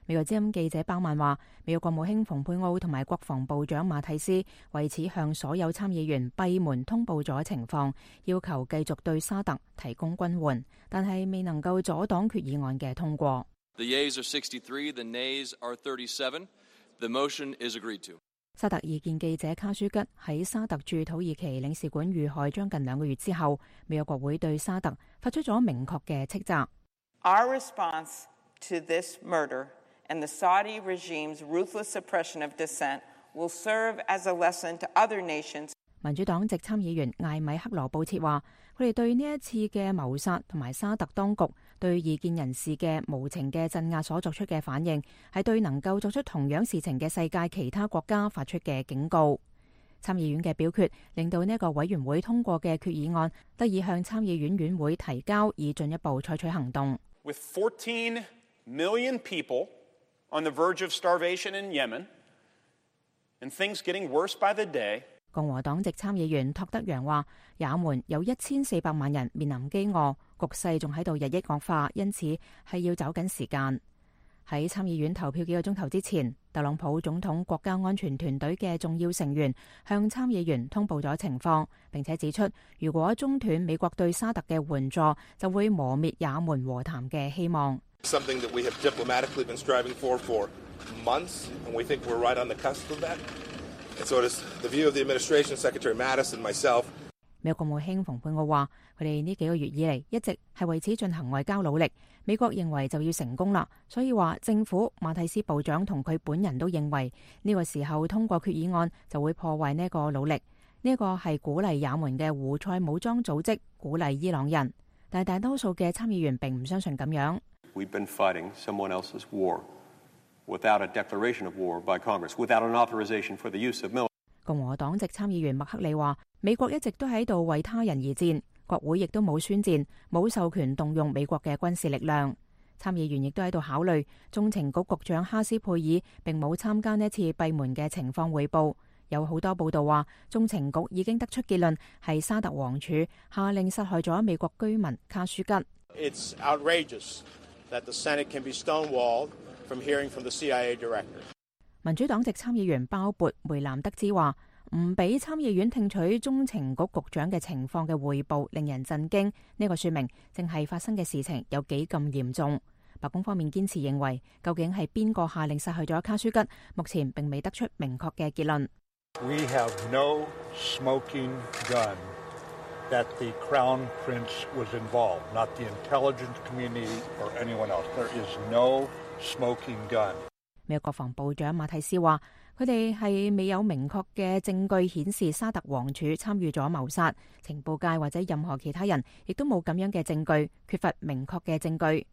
美國之音記者包曼話，美國國務卿蓬佩奧同埋國防部長馬蒂斯為此向所有參議員閉門通報咗情況，要求繼續對沙特提供軍援，但係未能夠阻擋決議案嘅通過。The yeas are sixty-three, the nays are thirty-seven. The motion is agreed to. 沙特異見記者卡舒吉喺沙特駐土耳其領事館遇害將近兩個月之後，美國國會對沙特發出咗明確嘅斥責。Our response to this murder and the Saudi regime's ruthless suppression of dissent will serve as a lesson to other nations. 民主黨籍參議員艾米克羅布切話，佢哋對呢一次嘅謀殺同埋沙特當局對異見人士嘅無情嘅鎮壓所作出嘅反應，係對能夠作出同樣事情嘅世界其他國家發出嘅警告。參議院嘅表決令到呢一個委員會通過嘅決議案得以向參議院院會提交，以進一步採取行動。With fourteen million people on the verge of starvation in Yemen, and things getting worse by the day. 共和黨籍參議員托德揚話，也門有一千四百萬人面臨饑餓，局勢仲喺度日益惡化，因此係要走緊時間。喺參議院投票幾個鐘頭之前，特朗普總統國家安全團隊嘅重要成員向參議員通報咗情況，並且指出，如果中斷美國對沙特嘅援助，就會磨滅也門和談嘅希望。Something that we have diplomatically been striving for for months, and we think we're right on the cusp of that. And so it is the view of the administration, Secretary Mattis and myself. 美國國務卿蓬佩奧話，佢哋呢幾個月以嚟一直係為此進行外交努力。美國認為就要成功啦，所以話政府馬蒂斯部長同佢本人都認為呢個時候通過決議案就會破壞呢個努力。呢個係鼓勵也門嘅胡塞武裝組織鼓勵伊朗人，但係大多數嘅參議員並唔相信咁樣。We've been fighting someone else's war without a declaration of war by Congress, without an authorization for the use of military. 共和黨籍參議員麥克里話，美國一直都喺度為他人而戰，國會亦都冇宣戰，冇授權動用美國嘅軍事力量。參議員亦都喺度考慮，中情局局長哈斯佩爾並冇參加呢次閉門嘅情況匯報。有好多報道話，中情局已經得出結論，係沙特王儲下令殺害咗美國居民卡舒吉。It's outrageous that the Senate can be stonewalled from hearing from the C I A director. 民主黨籍參議員鮑勃梅南德茲話，唔俾參議院聽取中情局局長嘅情況嘅匯報，令人震驚。呢個說明正係發生嘅事情有幾咁嚴重。白宮方面堅持認為，究竟係邊個下令殺害咗卡舒吉，目前並未得出明確嘅結論。We have no smoking gun that the Crown Prince was involved, not the intelligence community or anyone else. There is no smoking gun. 美國國防部長馬蒂斯話，佢哋係未有明確嘅證據顯示沙特王儲參與咗謀殺，情報界或者任何其他人亦都冇咁樣嘅證據，缺乏明確嘅證據。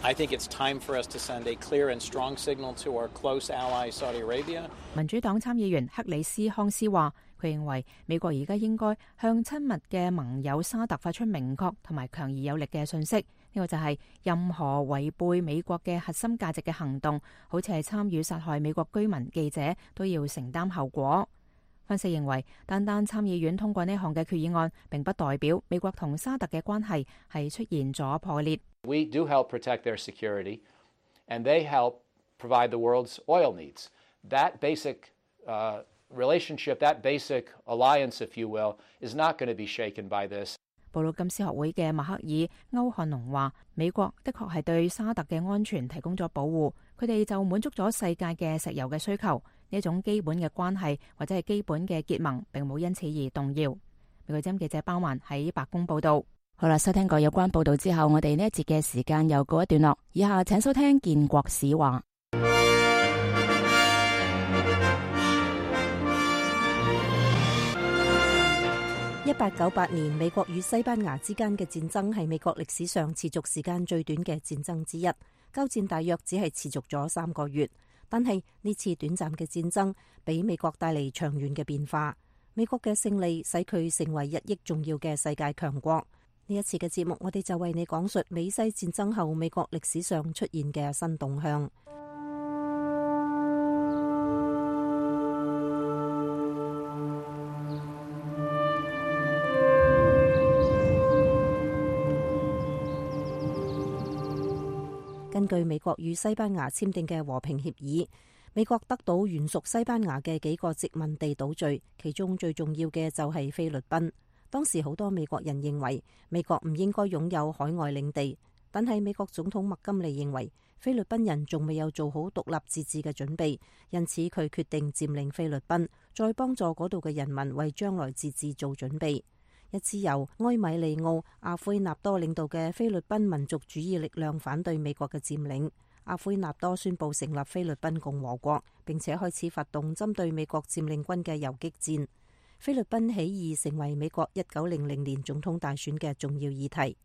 I think it's time for us to send a clear and strong signal to our close ally Saudi Arabia. 民主黨參議員克里斯康斯話，佢認為美國而家應該向親密嘅盟友沙特發出明確同埋強而有力嘅訊息，呢個就係任何違背美國嘅核心價值嘅行動，好似係參與殺害美國居民記者，都要承擔後果。分析認為，單單參議院通過呢項嘅決議案，並不代表美國同沙特嘅關係係出現咗破裂。We do help protect their security, and they help provide the world's oil needs. That basic uh, relationship, that basic alliance, if you will, is not going to be shaken by this. 布魯金斯學會嘅麥克爾歐漢龍話，美國的確係對沙特嘅安全提供咗保護，佢哋就滿足咗世界嘅石油嘅需求，呢一種基本嘅關係或者係基本嘅結盟並冇因此而動搖。美國之音記者包曼喺白宮報道。好啦，收聽過有關報道之後，我哋呢一節嘅時間又告一段落，以下請收聽建國史話。一八九八年，美國與西班牙之間嘅戰爭係美國歷史上持續時間最短嘅戰爭之一，交戰大約只係持續咗三個月。但係呢次短暫嘅戰爭俾美國帶嚟長遠嘅變化。美國嘅勝利使佢成為日益重要嘅世界強國。呢一次嘅節目，我哋就為你講述美西戰爭後美國歷史上出現嘅新動向。根據美國與西班牙簽訂嘅和平協議，美國得到原屬西班牙嘅幾個殖民地島嶼，其中最重要嘅就係菲律賓。當時好多美國人認為美國唔應該擁有海外領地，但係美國總統麥金利認為菲律賓人仲未有做好獨立自治嘅準備，因此佢決定佔領菲律賓，再幫助嗰度嘅人民為將來自治做準備。一支由埃米利奧·阿奎納多領導嘅菲律賓民族主義力量反對美國嘅佔領。阿奎納多宣布成立菲律賓共和國，並且開始發動針對美國佔領軍嘅游擊戰。菲律賓起義成為美國一九零零年總統大選嘅重要議題。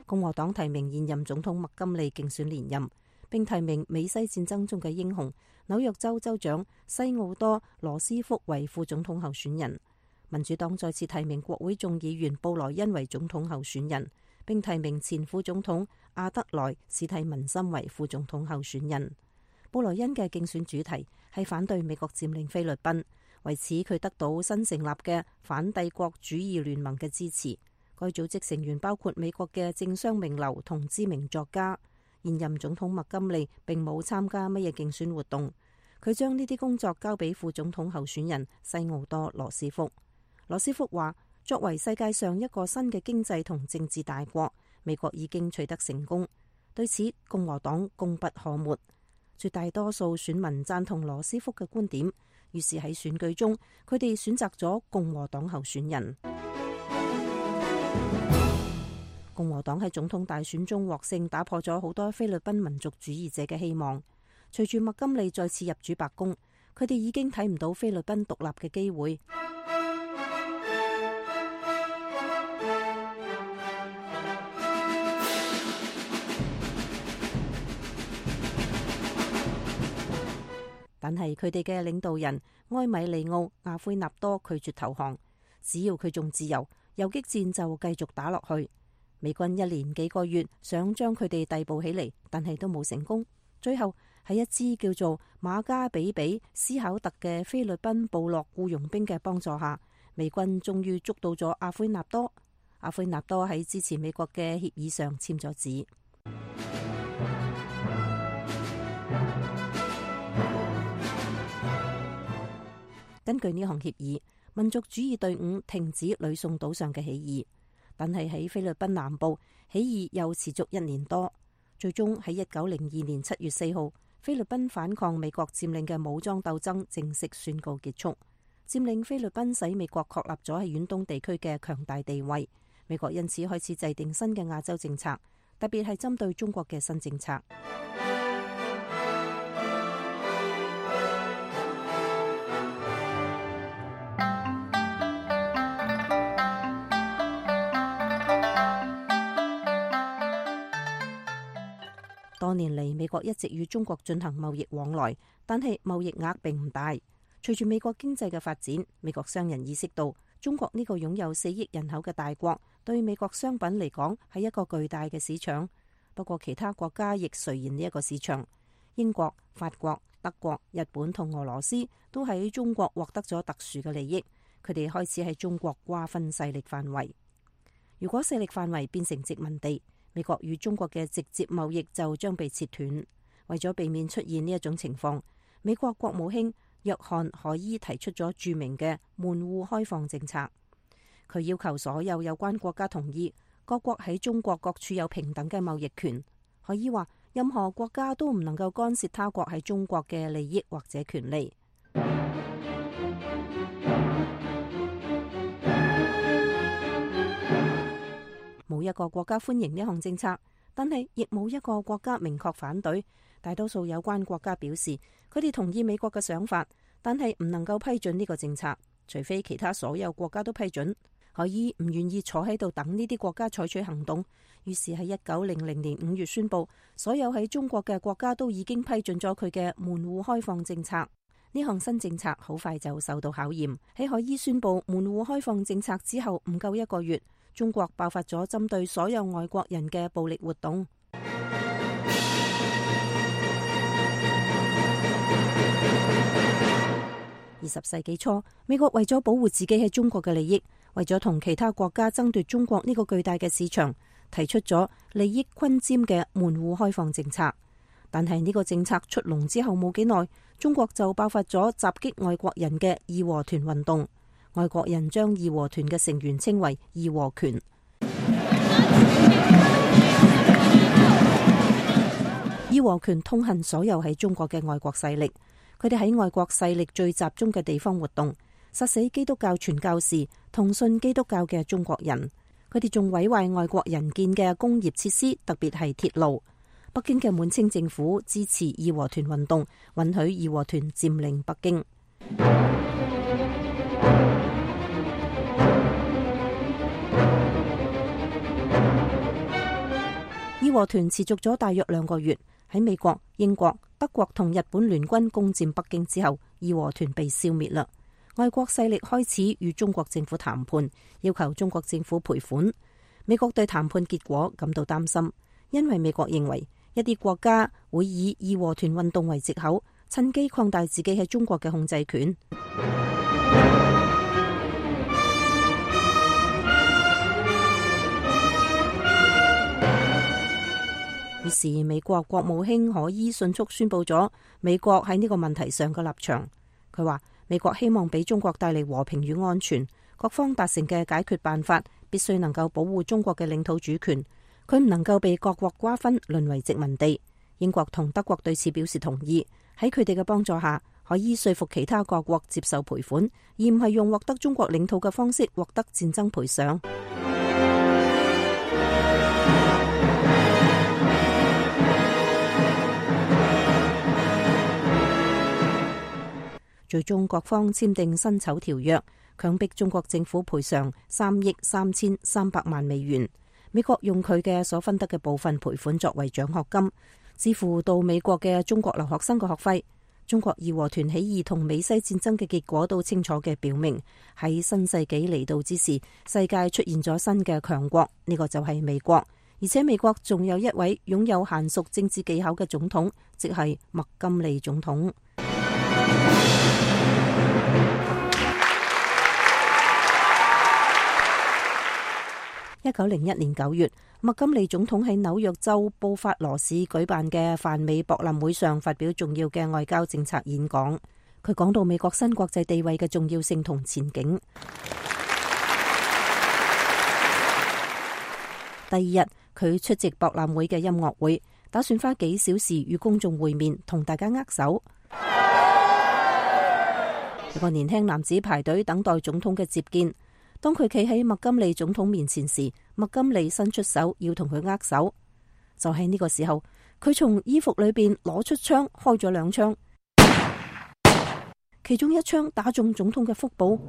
共和黨提名現任總統麥金利競選連任，並提名美西戰爭中嘅英雄紐約州州長西奧多羅斯福為副總統候選人。民主黨再次提名國會眾議員布萊恩為總統候選人，並提名前副總統阿德萊史蒂文森為副總統候選人。布萊恩嘅競選主題係反對美國佔領菲律賓，為此佢得到新成立嘅反帝國主義聯盟嘅支持。該組織成員包括美國嘅政商名流同知名作家。現任總統麥金利並冇參加乜嘢競選活動，佢將呢啲工作交俾副總統候選人西奧多羅斯福。羅斯福話：作為世界上一個新嘅經濟同政治大國，美國已經取得成功，對此共和黨功不可沒。絕大多數選民贊同羅斯福嘅觀點，於是喺選舉中，佢哋選擇咗共和黨候選人。共和黨喺總統大選中獲勝，打破咗好多菲律賓民族主義者嘅希望。隨住麥金利再次入主白宮，佢哋已經睇唔到菲律賓獨立嘅機會。但係佢哋嘅領導人埃米利奧·阿奎納多拒絕投降，只要佢仲自由，游擊戰就繼續打落去。美軍一連幾個月想將佢哋逮捕起嚟，但係都冇成功。最後喺一支叫做馬加比比斯考特嘅菲律賓部落僱傭兵嘅幫助下，美軍終於捉到咗阿奎納多。阿奎納多喺支持美國嘅協議上簽咗字。根據呢項協議，民族主義隊伍停止呂宋島上嘅起義，但係喺菲律賓南部起義又持續一年多，最終喺一九零二年七月四號，菲律賓反抗美國佔領嘅武裝鬥爭正式宣告結束。佔領菲律賓使美國確立咗喺遠東地區嘅強大地位，美國因此開始制定新嘅亞洲政策，特別係針對中國嘅新政策。多年嚟，美國一直與中國進行貿易往來，但係貿易額並唔大。隨住美國經濟嘅發展，美國商人意識到中國呢個擁有四億人口嘅大國，對美國商品嚟講係一個巨大嘅市場。不過其他國家亦垂涎呢一個市場。英國、法國、德國、日本同俄羅斯都喺中國獲得咗特殊嘅利益，佢哋開始喺中國瓜分勢力範圍。如果勢力範圍變成殖民地，美國與中國嘅直接貿易就將被切斷。為咗避免出現呢一種情況，美國國務卿約翰海伊提出咗著名嘅門戶開放政策。佢要求所有有關國家同意各國喺中國各處有平等嘅貿易權。海伊話，任何國家都唔能夠干涉他國喺中國嘅利益或者權利。冇一個國家歡迎呢項政策，但係亦冇一個國家明確反對。大多數有關國家表示，佢哋同意美國嘅想法，但係唔能夠批准呢個政策，除非其他所有國家都批准。海伊唔願意坐喺度等呢啲國家採取行動，於是喺一九零零年五月宣布，所有喺中國嘅國家都已經批准咗佢嘅門戶開放政策。呢項新政策好快就受到考驗。喺海伊宣布門戶開放政策之後唔夠一個月，中國爆發咗針對所有外國人嘅暴力活動。二十世紀初，美國為咗保護自己喺中國嘅利益，為咗同其他國家爭奪中國呢個巨大嘅市場，提出咗利益均沾嘅門戶開放政策。但係呢個政策出籠之後冇幾耐，中國就爆發咗襲擊外國人嘅義和團運動。外國人將義和團嘅成員稱為義和拳。義和拳痛恨所有喺中國嘅外國勢力。佢哋喺外國勢力最集中嘅地方活動，殺死基督教傳教士同信基督教嘅中國人。佢哋仲毀壞外國人建嘅工業設施，特別係鐵路。北京嘅滿清政府支持義和團運動，允許義和團佔領北京。義和團持續咗大約兩個月。喺美國、英國、德國同日本聯軍攻佔北京之後，義和團被消滅啦。外國勢力開始與中國政府談判，要求中國政府賠款。美國對談判結果感到擔心，因為美國認為一啲國家會以義和團運動為藉口，趁機擴大自己喺中國嘅控制權。於是美國國務卿海伊迅速宣布咗美國喺呢個問題上嘅立場。佢話美國希望俾中國帶嚟和平與安全，各方達成嘅解決辦法必須能夠保護中國嘅領土主權，佢唔能夠被各國瓜分，淪為殖民地。英國同德國對此表示同意。喺佢哋嘅幫助下，海伊說服其他各國接受賠款，而唔係用獲得中國領土嘅方式獲得戰爭賠償。最終各方簽訂辛丑條約，強迫中國政府賠償三億三千三百萬美元。美國用佢嘅所分得嘅部分賠款作為獎學金，支付到美國嘅中國留學生嘅學費。中國義和團起義同美西戰爭嘅結果都清楚嘅表明，喺新世紀嚟到之時，世界出現咗新嘅強國，呢、這個就係美國。而且美國仲有一位擁有嫻熟政治技巧嘅總統，即係麥金利總統。一九零一年九月，麥金利總統喺紐約州布法羅市舉辦嘅泛美博覽會上發表重要嘅外交政策演講。佢講到美國新國際地位嘅重要性同前景。第二日，佢出席博覽會嘅音樂會，打算花幾小時與公眾會面，同大家握手。一個年輕男子排隊等待總統嘅接見。當佢企喺麥金利總統面前時，麥金利伸出手要同佢握手。就喺呢個時候，佢從衣服裏邊攞出槍，開咗兩槍，其中一槍打中總統嘅腹部。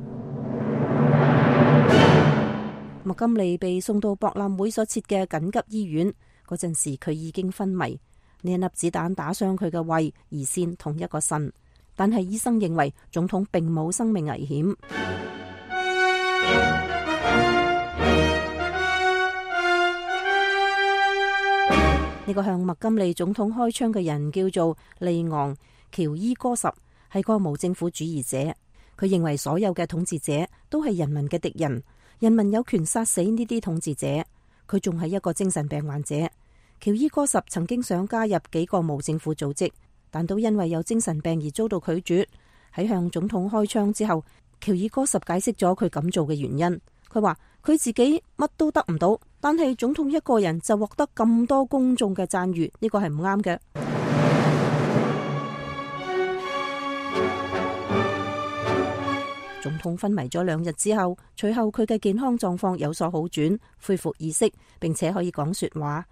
麥金利被送到博覽會所設嘅緊急醫院，嗰陣時佢已經昏迷。呢一粒子彈打傷佢嘅胃、胰腺同一個腎，但係醫生認為總統並冇生命危險。呢個向麥金利總統開槍嘅人叫做利昂喬伊戈什，係個無政府主義者。佢認為所有嘅統治者都係人民嘅敵人，人民有權殺死呢啲統治者。佢仲係一個精神病患者。喬伊戈什曾經想加入幾個無政府組織，但都因為有精神病而遭到拒絕。喺向總統開槍之後，喬伊戈什解釋咗佢咁做嘅原因。佢話佢自己乜都得唔到，但係總統一個人就獲得咁多公眾嘅讚譽，呢個係唔啱嘅。總統昏迷咗兩日之後，隨後佢嘅健康狀況有所好轉，恢復意識，並且可以講說話。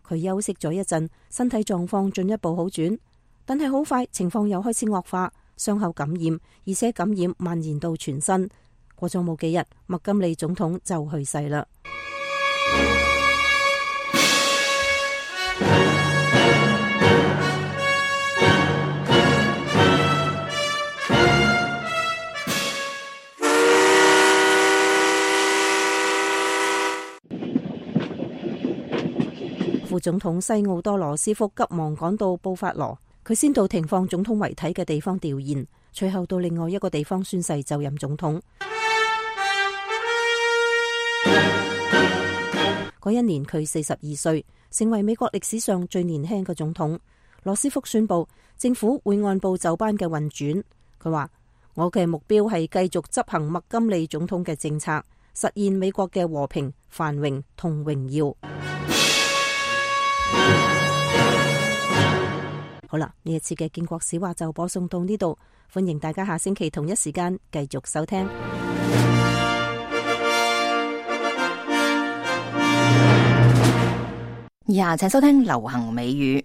佢休息咗一陣，身體狀況進一步好轉，但係好快情況又開始惡化，傷口感染，而且感染蔓延到全身。過咗冇幾日，麥金利總統就去世啦。副總統西奧多羅斯福急忙趕到布法羅，佢先到停放總統遺體嘅地方弔唁，隨後到另外一個地方宣誓就任總統。嗰一年佢四十二歲，成為美國歷史上最年輕嘅總統。羅斯福宣布政府會按部就班嘅運轉。佢話：我嘅目標係繼續執行麥金利總統嘅政策，實現美國嘅和平、繁榮同榮耀。好啦，呢一次嘅建國史話就播送到呢度，歡迎大家下星期同一時間繼續收聽。以下請收聽流行美語。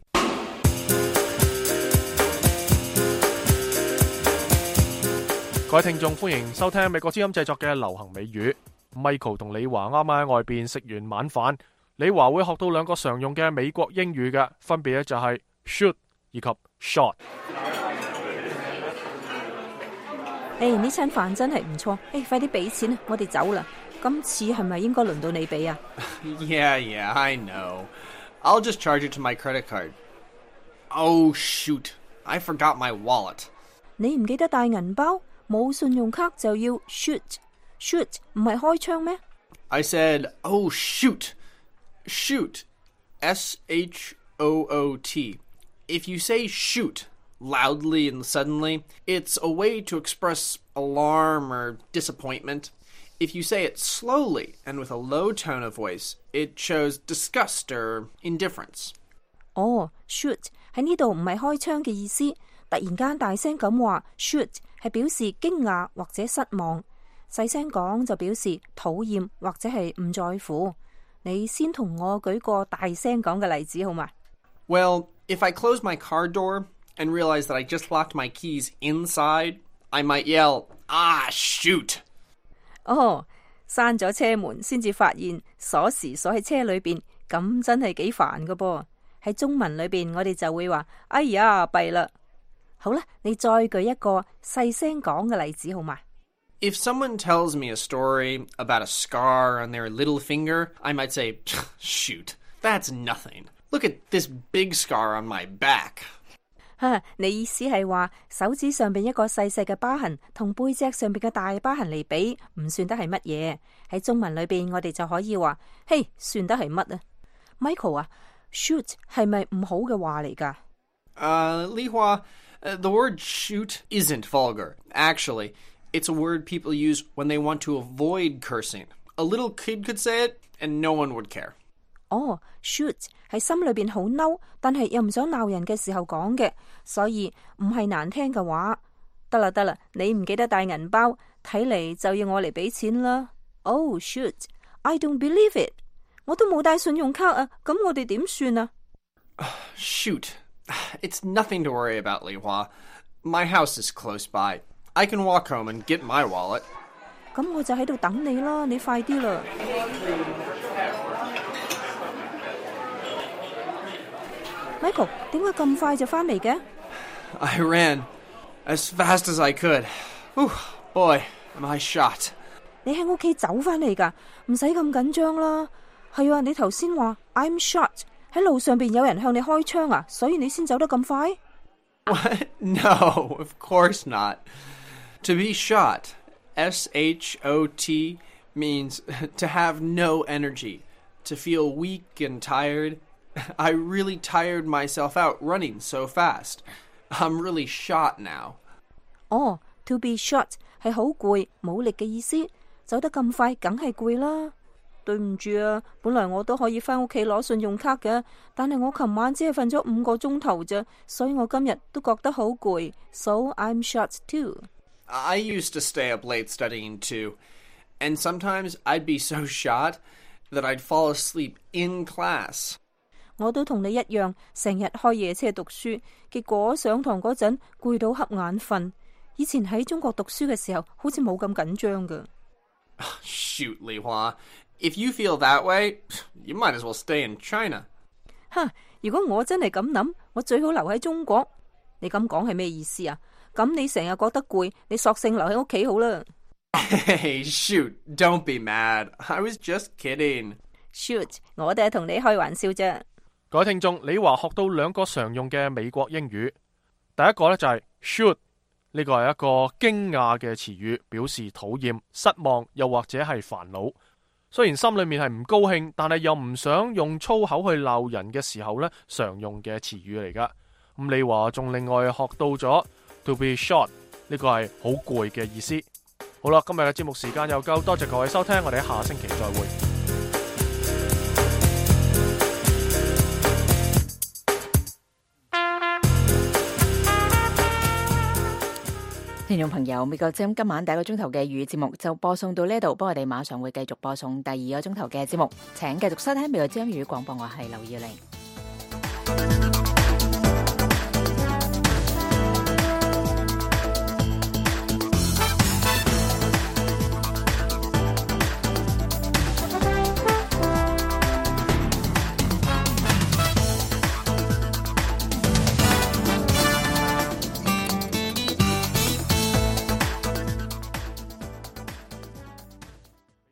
各位聽眾，歡迎收聽美國之音製作嘅流行美語。Michael 同李華啱啱喺外邊食完晚飯，李華會學到兩個常用嘅美國英語嘅，分別咧就係 shoot 以及 shot。誒，呢餐飯真係唔錯，誒，快啲俾錢啊，我哋走啦。今次係咪應該輪到你俾啊？ Yeah, yeah, I know. I'll just charge it to my credit card. Oh, shoot. I forgot my wallet. 你唔記得帶銀包，冇信用卡就要 shoot. Shoot 唔係開槍咩？ I said, oh, shoot. Shoot. S H O O T. If you say shoot loudly and suddenly, it's a way to express alarm or disappointment. If you say it slowly and with a low tone of voice, it shows disgust or indifference. 哦 shoot 喺呢度唔係開槍嘅意思，突然間大聲咁話 shoot 係表示驚訝或者失望，細聲講就表示討厭或者係唔在乎。你先同我舉個大聲講嘅例子好嗎？ Well, if I close my car door and realize that I just locked my keys inside, I might yell, ah, shoot! 哦，閂咗車門先至發現鎖匙鎖喺車裏邊，咁真係幾煩噶噃。喺中文裏邊，我哋就會話：哎呀，弊啦！好啦，你再舉一個細聲講嘅例子好嗎？ If someone tells me a story about a scar on their little finger, I might say, shoot, that's nothing. Look at this big scar on my back. 哈，你意思係話手指上邊一個細細嘅疤痕同背脊上邊嘅大疤痕嚟比，唔算得係乜嘢？喺中文裏邊，我哋就可以話：嘿，算得係乜啊 ？Michael 啊 ，shoot 係咪唔好嘅話嚟㗎？ Uh, Li Hua, uh, the word shoot isn't vulgar. Actually, it's a word people use when they want to avoid cursing. A little kid could say it, and no one would care. 哦 shoot 係心裏邊好嬲，但係又唔想鬧人嘅時候講嘅，所以唔係難聽嘅話。得啦得啦，你唔記得帶銀包，睇嚟就要我嚟俾錢啦。Oh shoot, I don't believe it. 我都冇帶信用卡啊，咁我哋點算啊 ？Shoot, it's nothing to worry about, Li Hua. My house is close by. I can walk home and get my wallet. 咁我就喺度等你啦，你快啲啦。Michael， 點解咁快就返嚟嘅 I ran as fast as I could. Whew, boy, am I shot. 你喺屋企走返嚟㗎，唔使咁緊張啦。係啊，你頭先話 I'm shot， 喺路上邊有人向你開槍啊，所以你先走得咁快 What? No, of course not. To be shot, S H O T, means to have no energy, to feel weak and tired. I really tired myself out running so fast. I'm really shot now. 哦 to be shot 係好攰冇力嘅意思，走得咁快梗係攰啦。對唔住啊，本來我都可以返屋企攞信用卡嘅，但係我琴晚只係瞓咗五個鐘頭啫，所以我今日都覺得好攰。So I'm shot too. I used to stay up late studying too, and sometimes I'd be so shot that I'd fall asleep in class. 我都同你一樣，成日開夜車讀書，結果上堂嗰陣攰到瞌眼瞓。以前喺中國讀書嘅時候，好似冇咁緊張噶。Shoot, Li Hua, if you feel that way, you might as well stay in China. 哈，如果我真係咁諗，我最好留喺中國。你咁講係咩意思啊？咁你成日覺得攰，你索性留喺屋企好啦。Hey, shoot, don't be mad. I was just kidding. Shoot, 我哋係同你開玩笑啫。各位聽眾，李華學到兩個常用嘅美國英語。第一個呢就係 shoot， 呢個係一個驚訝嘅詞語，表示討厭、失望又或者係煩惱。雖然心裏面係唔高興，但係又唔想用粗口去鬧人嘅時候呢，常用嘅詞語嚟噶。咁李華仲另外學到咗 to be short， 呢個係好攰嘅意思。好啦，今日嘅節目時間又夠，多謝各位收聽，我哋下星期再會。聽眾朋友，美國之音今晚第一個鐘頭嘅粵語節目就播送到呢度，不過我哋馬上會繼續播送第二個鐘頭嘅節目，請繼續收聽美國之音粵語廣播，我係劉耀玲。